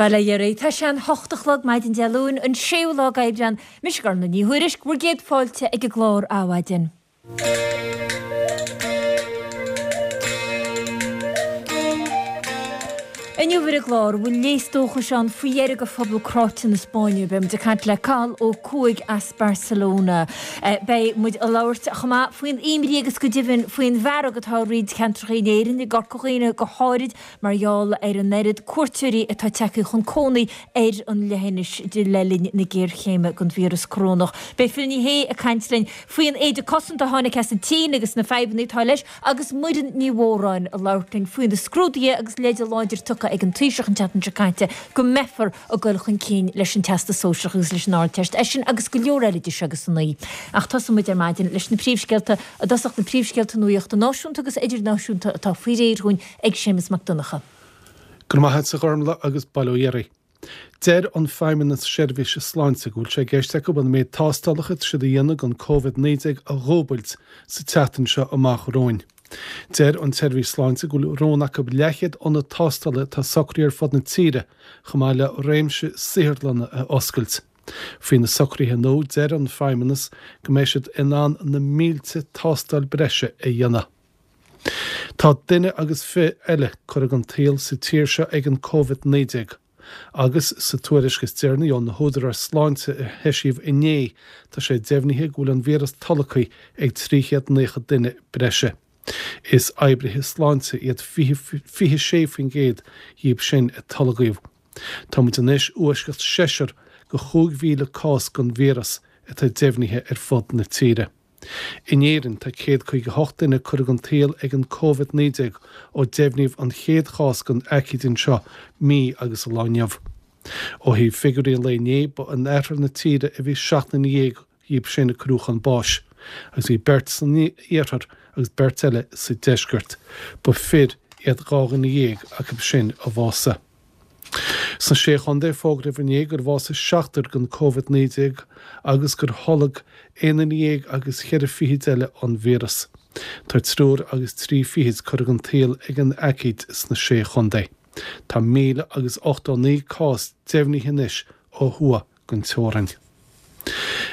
Bail ó Dhia oraibh. Tá sé an hocht a chlog maidin Dé Luain, an séú lá d'Aibreán. Mise Gormfhlaith Ní Thuairisg, bhur gcéad fáilte ag an gclár Adhmhaidin. Inniu ar an gclár, bhfuil léas dóchais ann faoi dheireadh do phobal cráite na Spáinne? Beidh muid ag caint le Cathal Ó Cuaig as Barcelona. Beidh muid ag labhairt chomh maith faoin imní agus go deimhin faoin bhfearg atá i roinnt ceantracha in Éirinn, i gCorca Dhuibhne go háirid, mar gheall ar an oiread cuairteoirí atá tagtha chun cónaí ar an leithinis le linn na géarchéime den víreas corónach. Beidh Phil Ní Sheaghdha ag caint linn faoin éide cosanta a tháinig as an tSín agus na fadhbanna atá leis agus Muireann Ní Mhóráin ag labhairt linn faoi na scrúduithe agus leide láidir tugtha ag an Taoiseach an tseachtain seo caite go mbeifear ag dul chun cinn leis an Teastas Sóisearach agus leis an Ardteist. É sin agus go leor eile de seo agus san. Ach tosóidh muid ar maidin leis na príomhscéalta i dtosach na príomhscéalta nuachta náisiúnta agus idirnáisiúnta atá faoi réir dhúinn ag Séamus Mac Donncha. Go raibh maith agat a Ghormfhlaith agus bail ó Dhia oraibh. Deir an Feidhmeannas Seirbhíse Sláinte go bhfuil sé i gceist acu an méid tástálacha atá siad a dhéanamh don Covid-19 a dhúbailt sa tseachtain seo amach romhainn. Deir an tSeirbhís Sláinte go bhfuil rún acu leathchéad ionad tástála atá socraithe ar fud na tíre chomh maith le réimse saotharlanna a oscailt. Faoi na socruithe nua, deir an Feidhmeannas go mbeidh siad in ann na mílte tástáil breise a dhéanamh. Tá duine agus fi eile curtha den tsaol sa tír seo ag an Covid-19 agus sa tuairisc is deireanaí ó na húdaráis sláinte a heisíodh inné tá sé deimhnithe go bhfuil an víreas tolgtha ag 390 duine breise. Is oibrithe sláinte iad 26% dhíob sin a tolgadh. Tá muid anois i bhfoisceacht seisear go 5,000 cás den víreas atá deimhnithe ar fud na tíre. In Éirinn, tá 158 duine curtha den tsaol ag an Covid-19 ó deimhníodh an chéad chás den aicíd anseo mí agus lá inniu. Ó thaobh figiúirí an lae inné, ba in oirthear na tíre a bhí 17 nduine dhíob sin a cuireadh chun báis, agus bhí beirt san iarthar agus beirt eile sa deisceart. Ba fir iad 12 dhuine acu sin a bhásaigh. Sna Sé Chontae, fógraíodh inné gur bhásaigh seachtar den Covid-19 agus gur tholg aon duine dhéag agus cheithre fichid eile an víreas. Tá triúr agus trí fichid curtha den tsaol ag an aicíd sna Sé Chontae. Tá 1,089 cás deimhnithe anois ó thuaidh den teorainn.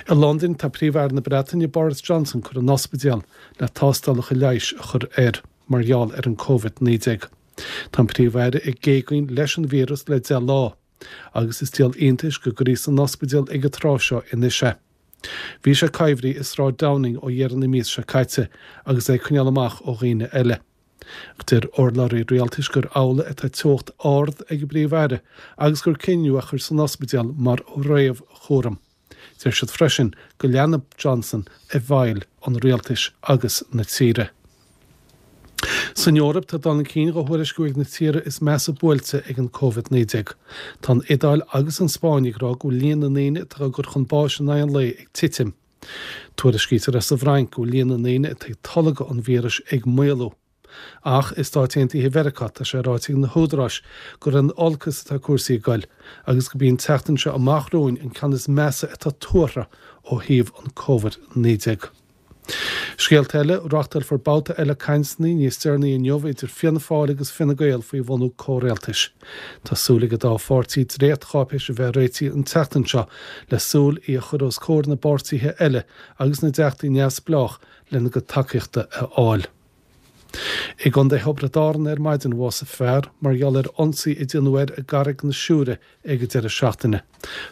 I Londain, tá Príomh-Aire na Breataine Boris Johnson curtha in ospidéal le tástálacha leighis a chur air mar gheall ar an Covid-19. Tá an Príomh-Aire ag géagaoin leis an víreas le 10 lá, agus is díol iontais go gcuirí san ospidéal ag an tráth seo anois é. Bhí sé coimhthithe i Sráid Downing ó dheireadh na míosa seo caite agus é ag coinneáil amach ó dhaoine eile. Ach deir urlabhraí rialtais gur amhlaidh atá teocht ard ag an bPríomh-Aire agus gur cinneadh é a chur san ospidéal mar réamhchúram. Deir siad freisin go leanfaidh Johnson i bhfeighil an rialtais agus na tíre. San Eoraip, tá dul chun cinn dhá thuairisciú ag na tíortha is measa buailte ag an Covid-19. Tá an Iodáil agus an Spáinn ag rá go bhfuil líon na ndaoine atá á gcur chun báis in aghaidh an lae ag titim. Tuairiscítear as an bhFrainc go bhfuil líon na ndaoine atá ag tolgadh an víris ag maolú. Ach i Stáit Aontaithe Mheiriceá, tá sé ráite ag na húdaráis gur in olcas atá cúrsaí ag goil agus gurb í an tseachtain seo amach romhainn an ceann is measa atá tuartha ó thaobh an Covid-19. Scéalta eile, Reáchtálfar babhta eile cainteanna níos deireanaí inniu idir Fianna Fáil agus Fine Gael faoi bhunú comhrialtais. Tá súil ag an dá pháirtí dréachtcháipéis a bheith réitithe an tseachtain seo le súil í a chur os comhair na bpáirtithe eile agus na dteachtaí neamhspleách lena gcuid tacaíochta a fháil. I gContae Thiobraid Árann ar maidin bhásaigh fear mar gheall ar ionsaí a déanadh air i gCarraig na Siúire ag an deireadh seachtaine.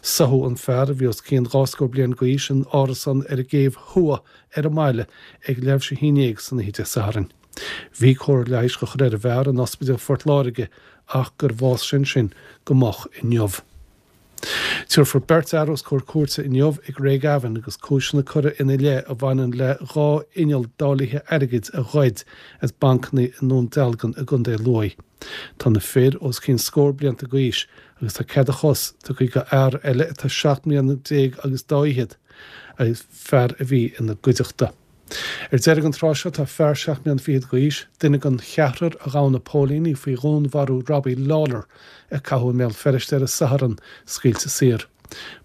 Soitheadh an fear, a bhí os cionn dhá scór bliain d'aois, in árasán ar an gCéibh Thuaidh ar an mbaile ag leathuair tar éis a haon dhéag san oíche Dé Sathairn. Bhí cóir leighis á chur ar an bhfear in Ospidéal Phort Láirge ach gur bhásaigh sé ansin go moch inniu. Tabharfar beirt fhear os comhair cúirte inniu i gCraigavon agus cúiseanna curtha ina leith a bhaineann le 2 inneall dáilithe airgid a ghoid as bancanna i nDún Dealgan i gContae Lú. Tá na fir os cionn scór blianta d'aois agus tá cead a chos tugtha do fhear eile atá 17 mbliana agus dá fhichead, fear a bhí ina gcuideachta. Ar deireadh an tráth seo tá fear 7 mbliana fichead d'aois, duine den cheathrar a ghabh na póilíní faoi dhúnmharú Robbie Lawlor a caitheadh i mBéal Feirste ar an Satharn, scaoilte saor.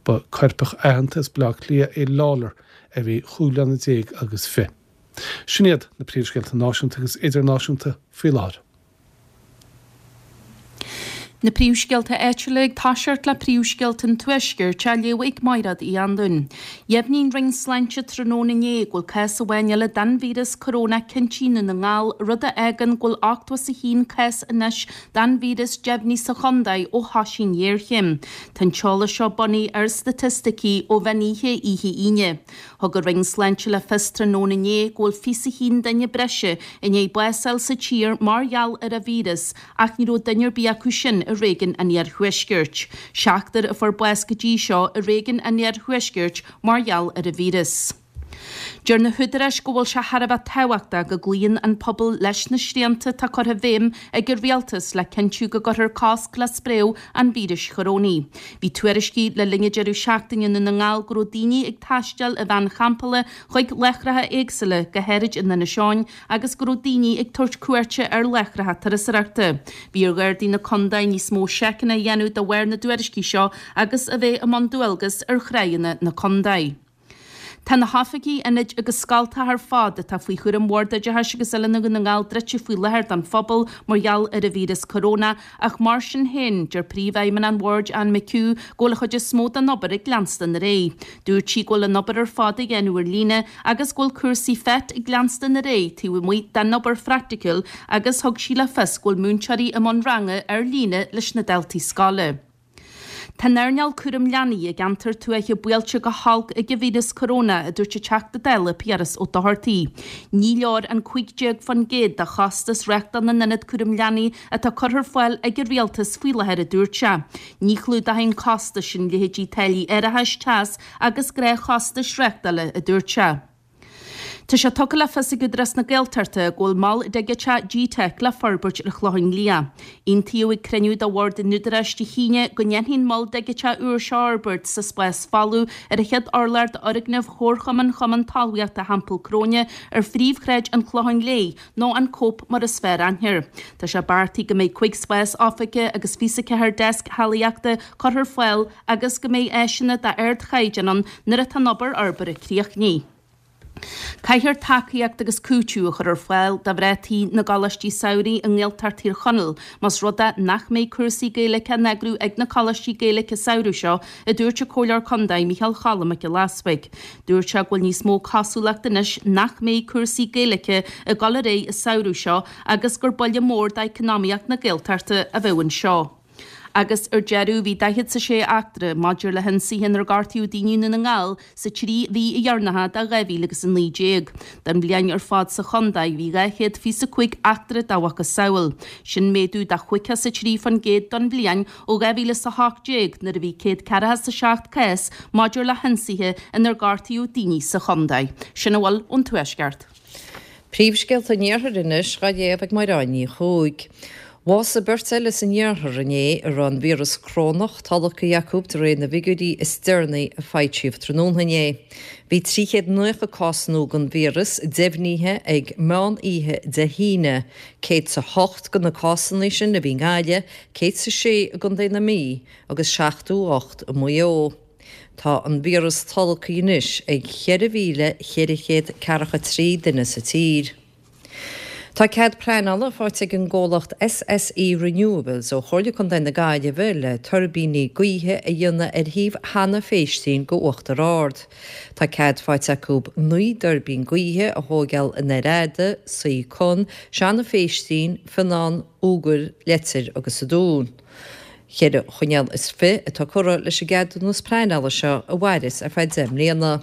Ba coirpeach aitheanta as Baile Átha Cliath é Lawlor a bhí chúig bliana déag agus fi. Sin iad na príomhscéalta náisiúnta agus idirnáisiúnta faoi láthair. Na príomhscéalta áitiúla ag toiseacht le príomhscéalta an Tuaiscirt á léamh ag Mairéad Uí Anluain. Dheimhnigh an Roinn Sláinte tráthnóna inné go bhfuil cás amháin eile den víreas corónach cinnte i nDún na nGall, rud a fhágann go bhfuil 81 cás anois den víreas deimhnithe sa chontae ó thosaigh an ghéarchéim. Tá an t-eolas seo bunaithe ar staitisticí ó mheán oíche oíche Aoine. Thug an Roinn Sláinte le fios tráthnóna inné go bhfuil 21 duine breise i ndiaidh bás a fháil sa tír mar gheall ar an víreas Ach ní raibh duine ar bith acu sin i réigiún an Iarthuaiscirt. Seachtar a fuair bás go dtí seo i réigiún an Iarthuaiscirt mar gheall ar an víreas. Deir na húdaráis go bhfuil sé thar a bheith tábhachtach go gcloíonn an pobal leis na srianta atá curtha i bhfeidhm ag an rialtas le cinntiú go gcuirfear cosc le spréadh an víris chorónaigh. Bhí tuairiscí le linn an deireadh seachtaine i nDún na nGall go raibh daoine ag taisteal i veain champála chuig láithreacha éagsúla, go háirid in Inis Eoghain, agus go raibh daoine ag tabhairt cuairte ar láithreacha turasóireachta. Bhí ar Ghardaí na contae níos mó seiceanna a dhéanamh de bharr na dtuairiscí seo agus a bheith i mbun dualgas ar thráigheanna na contae. Tá na hoifigí, ionaid agus scoltacha ar fad atá faoi chúram Bhord Oideachais agus Oiliúna Dhún na nGall druidte faoi láthair don phobal mar gheall ar an víreas corónach Ach mar sin féin, deir Príomhfheidhmeannach an Bhoird, Anne McHugh, go bhfuil an chuid is mó den obair ag leanstan ar aghaidh. Dúirt sí go bhfuil an obair ar fad á dhéanamh ar líne agus go bhfuil cúrsaí FET ag leanstan ar aghaidh taobh amuigh den obair phraiticiúil agus thug sí le fios go bhfuil múinteoirí i mbun ranga ar líne leis na daltaí scoile. Tá an earnáil cúram leanaí i gceantar tuaithe buailte go holc ag an víreas corónach, a dúirt an Teachta Dála Piaras Ó Dochartaigh. Ní leor an 15% de chostas reáchtáil na n-ionad cúram leanaí atá curtha ar fáil ag an rialtas faoi láthair, a dúirt sé. Ní chlúdóidh an costas sin leithéidí táillí árachais, teas agus gnáthchostais reáchtála, a dúirt sé. Tá sé tugtha le fios ag Údarás na Gaeltachta go bhfuil mol digiteach G-Teic le forbairt ar an Chlochán Liath. Aontaíodh ag cruinniú de Bhord an Údaráis Dé hAoine go ndéanfaí an mol digiteach úr seo a fhorbairt sa spás folamh ar an chéad urlár d'fhoirgneamh Chomharchumann Chumann Talmhaíochta Theampall Cróine ar phríomhshráid an Chlocháin Léith, nó an Cope mar is fearr aithne air. Tá sé beartaithe go mbeidh 5 spás oifige agus 24 deasc shealaíochta curtha ar fáil agus go mbeidh áiseanna d'ardchaighdeán ann nuair atá an obair fhorbartha críochnaithe. Caithfear tacaíocht agus cúiteamh a chur ar fáil do mhná tí na gcoláistí samhraidh i nGaeltacht Thír Chonaill más rud é nach mbeidh cúrsaí Gaeilge á n-eagrú ag na coláistí Gaeilge an samhradh seo, a dúirt an Comhairleoir Contae Micheál Cholm Mac Giolla Easbuig. Dúirt sé go bhfuil níos mó cosúlacht anois nach mbeidh cúrsaí Gaeilge ag dul ar aghaidh an samhradh seo agus gur buille mór d'eacnamaíocht na Gaeltachta a bheadh anseo. Agus ar deireadh, bhí 46 eachtra maidir le hionsaithe inar gortaíodh daoine i nDún na nGall sa trí mhí dheireanacha de 2019. Don bhliain ar fad sa chontae, bhí 225 eachtra dá mhacasamhail. Sin méadú de 53% don bhliain ó 2018 nuair a bhí 147 cás maidir le hionsaithe inar gortaíodh daoine sa chontae. Sin a bhfuil ón Tuaisceart. Príomhscéalta an Iarthair anois dhá léamh ag Máire Ní Chuaig. Bhásaigh beirt eile san iarthar inné a raibh an víreas corónach tolgtha acu de réir na bhfigiúirí is deireanaí a foilsíodh tráthnóna inné. Bhí 390 cás nua den víreas deimhnithe ag meán oíche Dé hAoine, 108 de na cásanna sin a bhí i nGaillimh, 106 i gContae na Mí agus 78 i Maigh Eo. Tá an víreas tolgtha anois ag 4,443 duine sa tír. Tá cead pleanála faighte ag an gcomhlacht SSE Renewables ó Chomhairle Contae na Gaillimhe le tuirbíní gaoithe a dhéanamh ar thaobh Sheanadh Phéistín go Uachtar Ard. Tá cead faighte acu 9 dtuirbín gaoithe a thóigeáil in Aer Fhada, Saoi Con, Seanadh Phéistín, Fionnán, Iúgar, Leitir agus sa Dún. Cheithre choinníoll is fi atá curtha leis an gceadúnas pleanála seo a mhairfeas ar feadh 10 mbliana.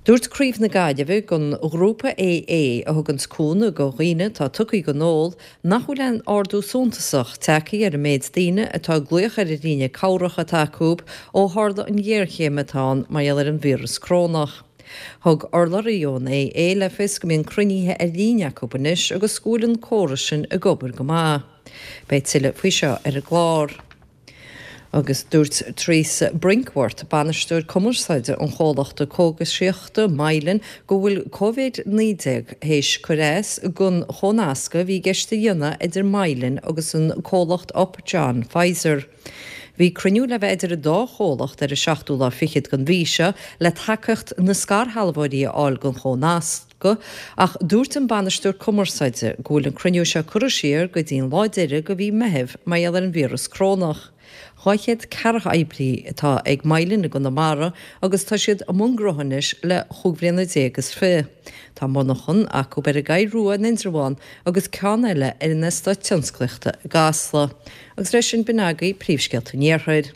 Dúirt Craobh na Gaillimhe den ghrúpa AA, a thuganns cúnamh go dhaoine atá tugtha don ól, nach bhfuil aon ardú suntasach tagtha ar an méid daoine atá ag glaoch ar an líne cabhrach atá acu ó tharla an ghéarchéim atá ann mar gheall ar an víreas corónach. Thug urlabhraí ón AA le fios go mbíonn cruinnithe ar líne acu anois agus go bhfuil an córas sin ag obair go maith. Beidh tuilleadh faoi seo ar an gclár. Agus dúirt Teresa Brinkworth, bainisteoir cumarsáide an chomhlachta cógaisíochta Mylan, go bhfuil Covid-19 théis cur as don chomhnascadh a bhí i gceist a dhéanamh idir Mylan agus an comhlacht Upjohn Pfizer. Bhí cruinniú le bheith idir an dá chomhlacht ar an seachtú lá fichead den mhí seo le tacaíocht na scairshealbhóirí a fháil don chomhnasc. Corcaigh ach dúirt an Bainisteoir Cumarsáide go bhfuil an cruinniú seo curtha siar go dtí an lá deiridh de mhí Meitheamh mar gheall ar an víreas corónach. 200 ceathracha oibrí atá ag Mylan i gConamara agus tá siad i mbun gnótha anois le chúig bhliana déag is fiche. Tá monarchan acu ar an gCoill Rua in Indreabhán agus ceann eile ar an Eastát Tionsclaíochta i gCasla. Agus leis sin b'in agaibh príomhscéalta an Iarthair.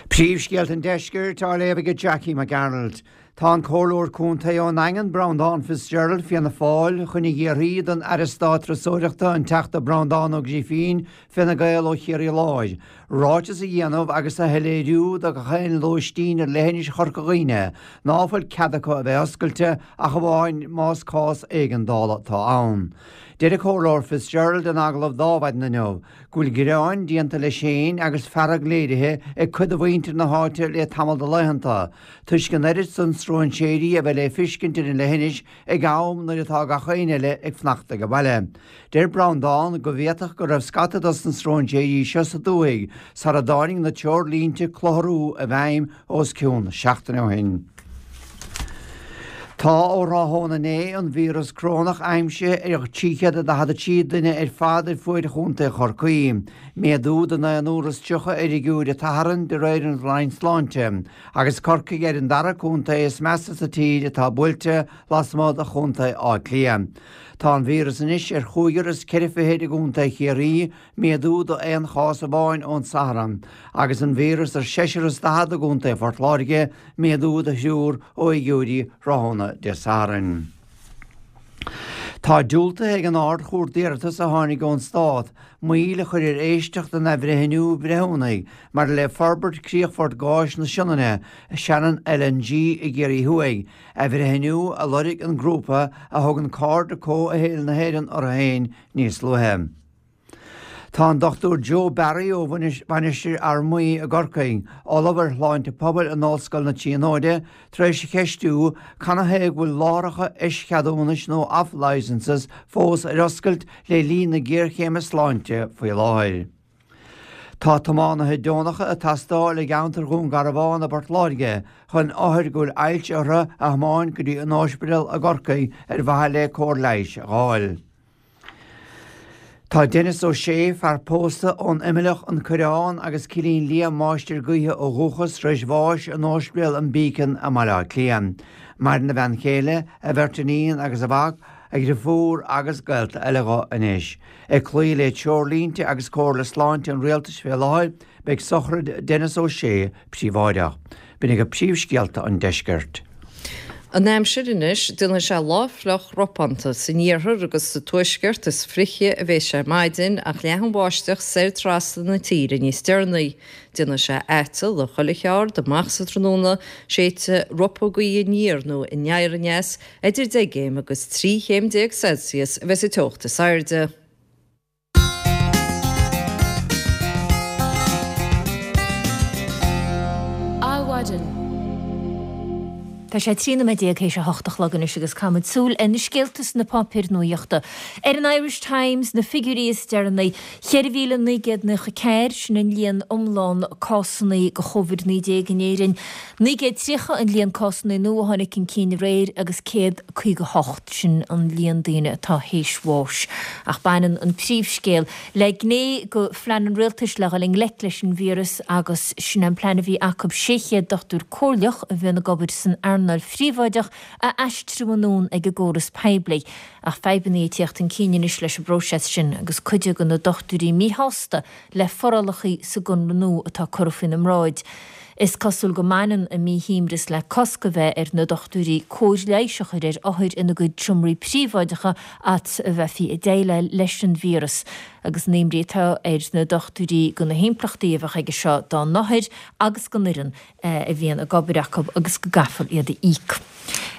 Príomhscéalta an Deiscirt á léamh ag Jackie Mac Gearailt. Tá an Comhairleoir Contae ón nDaingean, Breandán Fitzgerald, Fianna Fáil, chun a iarraidh don Aire Stáit Turasóireachta, an Teachta Breandán Ó Grifín, Fine Gael ó Chiarraí Láir, ráiteas a dhéanamh agus a shoiléiriú do gach aon lóistín ar leithinis Chorca Dhuibhne ná fuil cead acu a bheith oscailte ach amháin más cás éigeandála atá ann. Deir an Comhairleoir Fitzgerald in agallamh d'Adhmhaidin inniu go bhfuil gearáin déanta leis féin agus fearg léirithe ag cuid de mhuintir na háite le tamall de laethanta toisc an oiread san stróinséirí a bheith le fiscint ar an leithinis ag am nuair atá gach aon eile ag fanacht age baile. Deir Breandán go bhféadfadh go raibh scata dos na stróinséirí seo sa dúthaigh sara dtáinig na treoirlínte clutharú i bhfeidhm os cionn seachtaine ó shin. Tá ó thráthnóna inné an víreas corónach aimsithe ar 343 duine ar fad ar fuaid Chontae Chorcaí, méadú de naonúr is 30 ar fhigiúir an tSathairn de réir an Roinn Sláinte, agus Corcaigh ar an dara contae is measa sa tír atá buailte lasmuigh de Chontae Átha Cliath. Tá an víreas anois ar chúigear is ceithre fichid i gContae Chiarraí, méadú d'aon chás amháin ón Satharn, agus an víreas ar seisear is 40 i gContae Phort Láirge, méadú de thriúr ó fhigiúirí thráthnóna Dé Sathairn. Tá diúltaithe ag an Ard-Chúirt d'iarratas a tháinig ón Stát moill a chur ar éisteacht den athbhreithniú breithiúnaigh maidir le forbairt críochfort gáis na Sionainne, Shannon LNG, i gCiarraí Thuaidh, athbhreithniú a lorg an grúpa a thugann Cairde Comhshaoil na hÉireann orthu féin níos luaithe. Tá an Dr Joe Barry ó Mhainistir Fhear Maí i gCorcaigh, Ollamh ar Shláinte Pobail in Ollscoil na Tríonóide, tar éis a cheistiú canathaobh go bhfuil láithreacha eischeadúnais nó off-licences fós ar oscailt le linn na géarchéime sláinte faoi láthair. Tá tiománaithe deonacha ag teastáil i gceantar Dhún Garbhán i bPort Láirge chun othair go bhfuil ailse orthu a thiomáint go dtí an ospidéal i gCorcaigh ar mhaithe le cóir leighis a dh'fháil. Tá Denis Ó Sé, fear pósta ón Imileach, An Coireán agus Cillín Liath, máistir gaoithe ó dhúchas, tar éis bháis in Ospidéal an Beacon i mBaile Átha Cliath. Maireann a bhean chéile, a bheirt iníon agus a mhac, a dhriofúr agus gaolta eile dho anois. Ag cloí le treoirlínte agus comhairle sláinte an Rialtais fé láthair, Beidh sochraid Denis Ó Sé príobháideach. B'in agaibh príomhscéalta an deiscirt. An aimsir anois, déanfaidh sé lá fliuch ropánta san iarthar agus sa tuaisceart, is fliche a bheas sé ar maidin ach leathfaidh an bháisteach soir trasna na tíre níos deireanaí. Déanfaidh sé aiteal i chuile cheard amach sa tráthnóna, séidfidh ropadh gaoithe aniar nó aniar aneas, idir 10 gcéim agus 13 chéim Celsius a bheas an teocht is airde. Adhmhaidin. Tá sé 13 nóiméad théis a hocht a chlog anois agus caithfimid súil ar na scéalta sna páipéir nuaíochta. Ar an Irish Times, na figiúirí is deireanaí, 4,994, sin an líon iomlán cásanna de Covid-19 in Éirinn, 930 an líon cásanna nua a tháinig chun cinn aréir agus 158. Sin an líon daoine atá théis bháis. Ach baineann an príomhscéal le gné de phlean an rialtais le dhul i ngleic leis an víreas agus sin an plean a bhí acu 600 dochtúir comhairleach a bhíonn ag obair san earnáil phríobháideach a aistriú anonn ag an gcóras poiblí. Ach fadhbanna ag tíocht chun cinn anois leis an bpróiseas sin agus cuid de na dochtúirí míshásta le forálacha sa gconradh nua atá curtha faoina mbráid. Is cosúil go mbaineann a míshuaimhneas le cosc a bheith ar na dochtúirí cóir leighis a chur ar othair ina gcuid seomraí príobháideacha fhad 's a bheifí ag déileáil leis an víreas, agus an imní atá ar na dochtúirí go na himpleachtaí a bheadh aige seo dá n-othair agus don fhoireann a bhíonn ag obair acu agus go gcaithfear iad a íoc.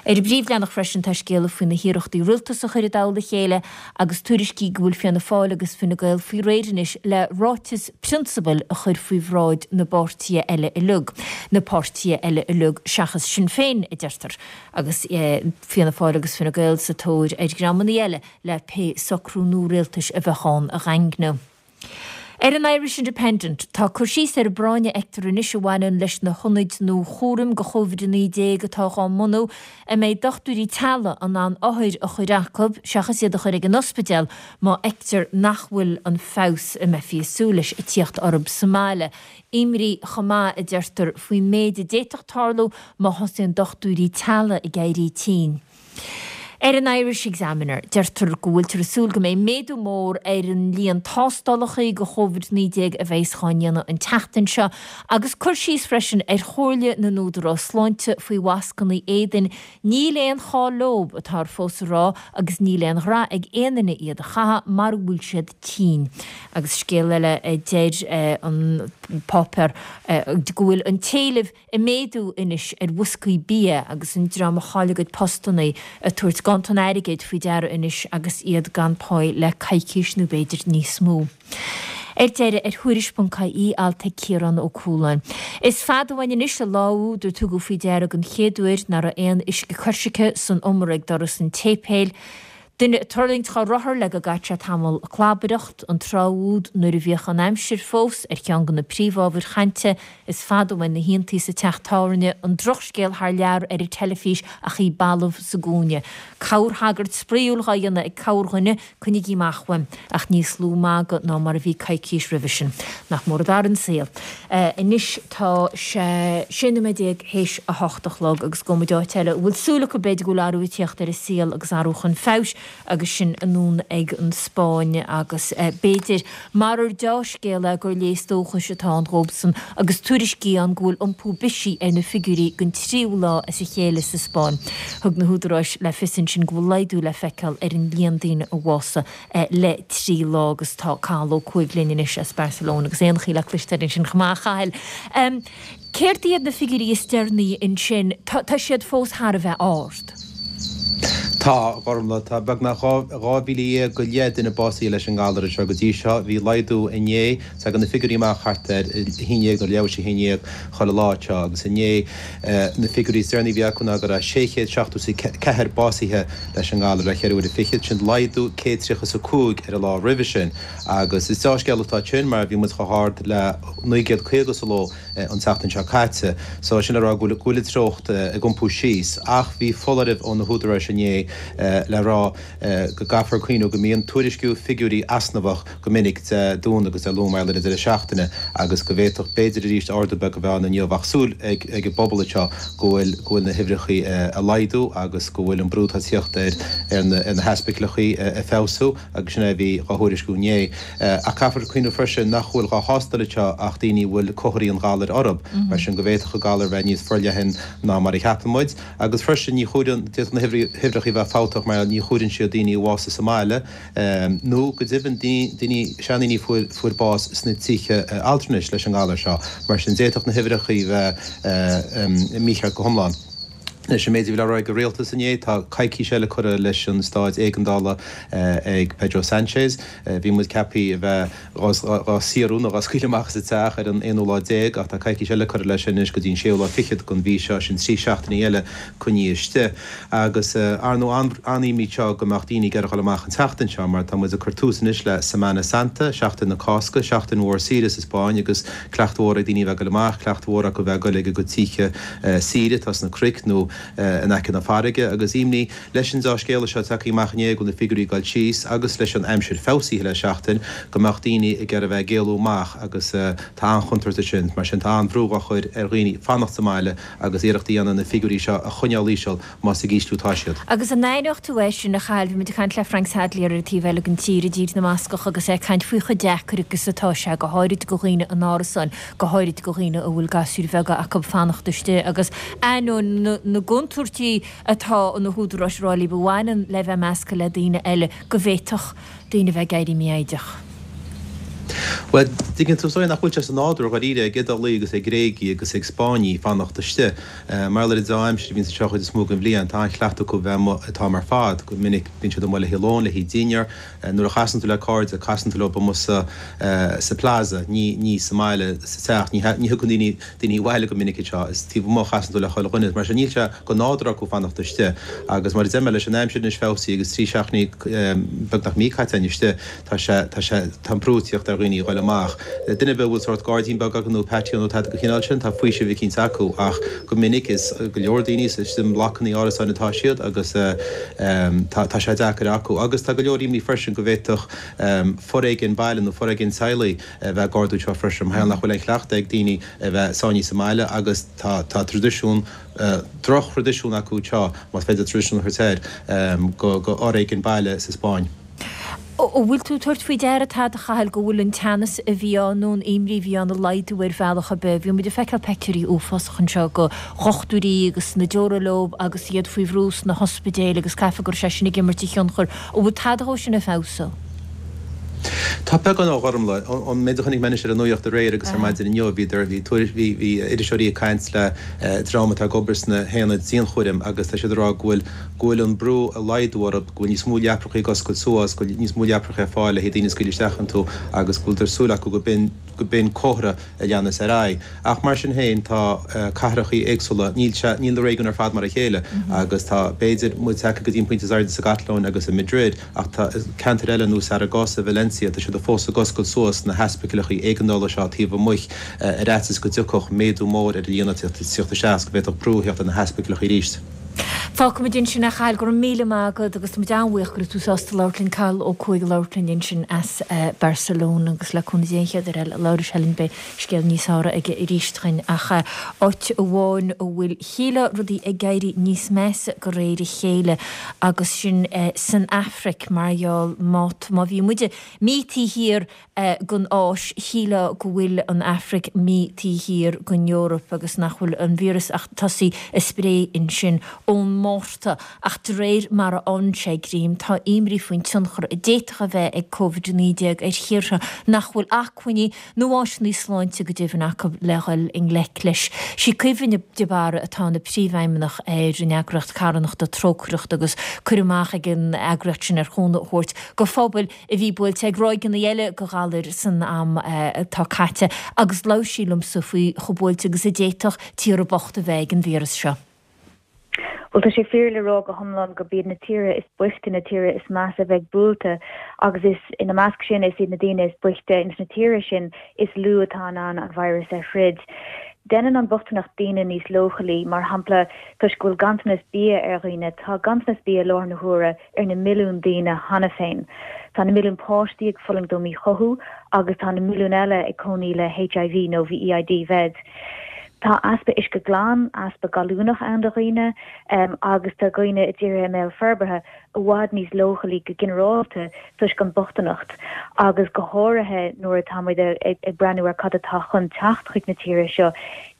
Ar an bpríomhleathanach freisin tá scéala faoi na hiarrachtaí rialtas a chur i dtoll a chéile agus tuairiscí go bhfuil Fianna Fáil agus Fine Gael faoi réir anois le ráiteas prionsabail a chur faoi bhráid na bpáirtithe eile uilig, na páirtithe eile uilig seachas Sinn Féin, a deirtear, agus Fianna Fáil agus Fine Gael sa tóir ar dhreamanna eile le pé socrú nua rialtais a bheadh ann a dhaingniú. Ar an Irish Independent, tá cur síos ar an bpráinn a fheictear anois a bhaineann leis na hionaid nua chúraim do Chóivid-19 atá dhá mbunú, a mbeidh dochtúirí teaghlaigh in ann othair a chur acu seachas iad a chur ag an ospidéal má fheictear nach bhfuil an feabhas a mbeifí ag súil leis ag tíocht orthu sa mbaile. Imní chomh maith, a deirtear, faoin méid a d'fhéadfadh tarlú má thosaíonn dochtúirí teaghlaigh ag éirí tinn. Ar an Irish Examiner, deirtear go bhfuiltear ag súil go mbeidh méadú mór ar an líon tástálacha do Chóivid-19 a bheas dhá ndéanamh an tseachtain seo agus cur síos freisin ar chomhairle na n-údarás sláinte faoi mhascanna éadain. Níl aon chall leob, atáthar fós a rá, agus níl aon ghra ag aon duine iad a chaitheamh mara bhfuil siad tinn. Agus scéal eile a deir an páipéar go bhfuil an t-éileamh ag méadú anois ar bhoscaí bia agus an dream a chaill a gcuid postanna ag tabhairt ganntan airgid faoi deara anois agus iad gan páí le coicís nó b'fhéidir níos mó. Ar deireadh, ar Thuairisc.ie, alt ag Ciarán Ó Cualáin. Is fada uainn anois an lá úd ar tugadh faoi deara den chéad uair nach raibh aon uisce coisricthe san umar ag doras an tséipéil. Duine ag tuirlingt dhá rothar le go gcaithfeadh sé tamall ag clabaireacht, an tráth úd nuair a bhíodh an aimsir fós ar cheann de na príomhábhair chainte, is fada uainn na hiontaí sa teach tábhairne, an drochscéal thar lear ar an teilifís ach í balbh sa gcúinne. Corrthagairt spraíúil dhá dhéanamh ag corrdhuine, coinnigí amach uaim, ach níos lú magadh ná mar a bhí coicís roimhe sin. Nach mór a d'athraigh an saol. Anois tá sé 16 nóiméad théis a hocht a chlog agus gabhfaidh muid áit eile a bhfuil súil acu b'fhéidir go bhfuil athrú ag tíocht ar an saol agus athrú chun feabhais agus sin anonn ag an Spáinn agus b'fhéidir marar deá-scéal é gur léas dóchais atá ann dhóibhsan agus tuairiscí ann go bhfuil iompú bisigh ar na figiúirí don tríú lá as a chéile sa Spáinn. Thug na húdaráis le fios ansin go bhfuil laghdú le feiceáil ar an líon daoine a bhásaigh le 3 lá agus tá Cathal Ó Cuaig linn anois as Barcelona agus éanachaí le cloisteáil ansin chomh maith, a Chathail. Céard iad na figiúirí is deireanaí ansin? Tá siad fós thar a bheith ard. Tá, a Ghormfhlaith, tá beagnach 12,000 go leith duine básaithe leis an ngalar anseo go dtí seo. Bhí laghdú inné. Tagann na figiúirí amach thart ar a haon dhéag nó leathuair tar éis a haon dhéag chuile lá anseo agus inné na figiúirí is deireanaí a bhí acu ná go raibh 674 básaithe leis an ngalar le ceithre huaire fichead, sin laghdú 135 ar an lá roimhe sin agus is deá-scéal atá ansin mar bhí muid chomh hard le 950 sa ló an tseachtain seo caite. So sin le rá go bhfuil an treocht ag iompú síos ach bhí foláireamh ó na húdaráis inné le rá go gcaithfear cuimhniú go mbíonn tuairisciú figiúirí easnamhach go minic Dé Domhnaigh agus Dé Luain mar gheall ar an deireadh seachtaine agus go bhféadfadh b'fhéidir arís ardú beag a bheith ann inniu ach súil ag an bpobal anseo go bhfuil go bhfuil na huimhreachaí ag laghdú agus go bhfuil an brú atá ag tíocht ar ar na ar na hospidéalachaí ag feabhsú agus sin é a bhí dhá thuairisciú inné. Ach caithfear cuimhniú freisin nach bhfuil dhá thástáil anseo ach daoine a bhfuil comharthaí an ghalair orthu mar sin go bhféadfadh an galar bheith níos forleathan ná mar a cheapann muid agus freisin ní chomhaireann d'fhéadfadh na huimhreachaí a bheith fabhtach mar ní chomhaireann siad daoine a bhásaigh sa mbaile nó go deimhin daoine, seandaoine a fuair bás sna tithe altranais leis an ngalar seo. Mar sin d'fhéadfadh na huimhreachaí bheith mícheart go hiomlán. Leis an méid a bhí le rá ag an rialtas inné, tá coicís eile curtha leis an staid éigeandála ag Pedro Sanchez. Bhí muid ceaptha a bheith dhá saorú nó dhá scaoileadh amach as an teach ar an aonú lá déag ach tá coicís eile curtha leis sin anois go dtí an séú lá fichead den mhí seo, sin 3 seachtainí eile coinnithe istigh. Agus ar ndóigh an-imní anseo go mbeadh daoine ag iarraidh dhul amach an tseachtain seo mar tá muid ag cur tús anois le Semana Santa, Seachtain na Cásca, seachtain mhór saoire sa Spáinn agus cleachtadh mhór ag daoine a bheith ag dul amach, cleachtadh mhór acu a bheith ag dul ag a gcuid tithe saoire atá sna cnoic nó in aice na farraige agus imní Leis an deá-scéala seo tagtha amach inné go bhfuil na figiúirí ag dul síos agus leis an aimsir feabhsaithe le seachtain go mbeadh daoine ag iarraidh a bheith ag éalú amach agus tá an-chontúirt ansin. Mar sin tá an-bhrú á chur ar dhaoine fanacht sa mbaile agus iarracht a dhéanamh na figiúirí seo a choinneáil íseal más ag ísliú atá siad. Agus an aithneodh tú é sin, a Chathail? Bhí muid ag caint le Frank Sadlier ar an taobh eile den tír, i dTír na mBascach, agus é ag caint faoi chomh deacair agus atá sé, go háirid do dhaoine in árasáin, go háirid do dhaoine a bhfuil gasúir bheaga acu fanacht istigh agus ainneoin na gcontúirtí atá na húdaráis ag rá libh a bhaineann le bheith measctha le daoine eile, go bhféadfadh daoine a bheith ag éirí mífhoighdeach. Bhuel, tuigeann tú, is dóigh nach bhfuil sé sa nádúr dháiríre ag Iodálaigh agus ag Gréagaigh agus ag Spáinnigh fanacht istigh. Mar gheall ar an dea-aimsir a bhíonns anseo chuid is mó den bhliain, tá an-chleachtadh acu bheith amuigh an t-am ar fad. Go minic bíonn siad amuigh le haghaidh lóin, le haghaidh dinnéar. Nuair a chasann tú le cairde, casann tú leo amuigh sa sa plaza, ní ní sa mbaile, sa teach. Ní ní thiocfaidh daoine daoine abhaile go minic anseo. Is taobh amuigh a chasann tú le chuile dhuine. Mar sin níl sé de nádúr acu fanacht istigh. Agus mar a deir mé, leis an aimsir anois feabhsaithe agus 3 seachtainí beagnach mí caite againn istigh, tá sé tá sé tá an brú ag tíocht ar dhaoine. dhaoine a ghoil amach. Duine ar bith a bhfuil sórt gairdín beag acu nó patio nó tada den chineál sin, tá faoiseamh eicínt acu ach go minic is go leor daoine is i mblocanna árasáin atá siad agus tá tá sé deacair acu. Agus tá go leor imní freisin go bhféadfadh foréigean baile nó foréigean teaghlaigh a bheith ag ardú anseo freisin mar gheall nach bhfuil aon chleachtadh ag daoine a bheith sáinnithe sa mbaile agus tá tá traidisiún droch-thraidisiún acu anseo, más féidir traidisiún a thabhairt air, go go fhoréigean baile sa Spáinn. An bhfuil tú ag tabhairt faoi deara tada, a Chathail, go bhfuil an teannas a bhí ann nó an imní a bhí ann ag laghdú ar bhealach ar bith? Bhí muid ag feiceáil peictiúirí uafásacha anseo go dhochtúirí agus na deora leo agus iad faoi bhrú sna hospidéil agus caithfidh go raibh sé sin ag imirt a thionchar. An bhfuil tada dhó sin ag feabhsú? Tá beagán a Ghormfhlaith. An méid a chonaic mé anois ar an nuacht aréir agus ar maidin inniu, bhíodar, bhí tuairisc, bhí, bhí iriseoirí ag caint le dream atá ag obair sna haonaid dianchúraim agus tá siad ag rá go bhfuil, go bhfuil an brú ag laghdú orthu, go bhfuil níos mó leaprachaí ag oscailt suas, go bhfuil níos mó leaprachaí ar fáil le haghaidh daoine a scaoileadh isteach iontu agus go bhfuil súil acu go b'in, go b'in comhartha a leanas ar aghaidh. Ach mar sin féin, tá cathrachaí éagsúla, níl sé, níl na réigiúin ar fad mar a chéile agus tá, b'fhéidir, muid tagtha go dtí an pointe is airde sa gCatalóin agus i Madrid ach tá ceantair eile nós Zaragoza, Valencia, tá siad fós ag oscailt suas na hospidéalachaí éigeandála seo taobh amuigh ar fhaitíos go dtiocfadh méadú mór ar an líon ag teacht isteach agus go bhféadfadh brú a theacht ar na hospidéalachaí arís. Fágfaimid ansin é a Chathail, go raibh míle maith agat agus tá muid an-bhuíoch go raibh tú sásta labhairt linn, Cathal Ó Cuaig ag labhairt linn ansin as Barcelona agus le cúnamh Dé an chéad uair eile a labhróidh sé linn beidh scéal níos fearr aige arís chugainn ach áit amháin a bhfuil shílfeá rudaí ag éirí níos measa de réir a chéile agus sin san Afraic mar gheall má má bhí muide mí taobh thiar den Áis, shílfeá go bhfuil an Afraic mí taobh thiar den Eoraip agus nach bhfuil an víreas ach tosaithe ag spré ansin ón Márta. Ach de réir mar a fhánann sé greim, tá imní faoin tionchar a d'fhéadfadh a bheith ag Covid-19 ar thíortha nach bhfuil acmhainní nó áiseanna sláinte go deimhin acu le dhul i ngleic leis. Sí Caoimhe de Barra atá ina príomhfheidhmeannach ar an eagraíocht carthanachta Trócaireacht agus cur amach ag an eagraíocht sin ar chúnamh a thabhairt go phobail a bhí buailte ag ráigeanna eile de ghalair san am atá caite agus labhair sí liomsa faoi chomh buailte agus a d'fhéadfadh tíortha bochta a bheith ag an víreas seo. Bhuel, tá sé fíor le rá go hiomlán gurb iad na tíortha is boichte na tíortha is measa a bheidh buailte agus is ina measc sin is iad na daoine is boichte ins na tíortha sin is lú atá in ann an virus a throid. Déanann an bhochtaineacht daoine níos leochailí, mar shampla toisc go bhfuil ganntanas bia ar dhaoine, tá ganntanas bia i láthair na huaire ar na milliúin daoine cheana féin. Tá na milliúin páistí ag fulaingt ó míchothú agus tá na milliúin eile ag cónaí le HIV nó VEID, VED. Tá easpa uisce glan, easpa gallúnach ann do dhaoine agus tá dhaoine i dtíortha i mbéal forbartha i bhfad níos leochailí go ginearálta toisc an bochtaineacht agus go háirithe nuair atá muid ag breathnú ar cad atá chun teacht chuig na tíortha seo,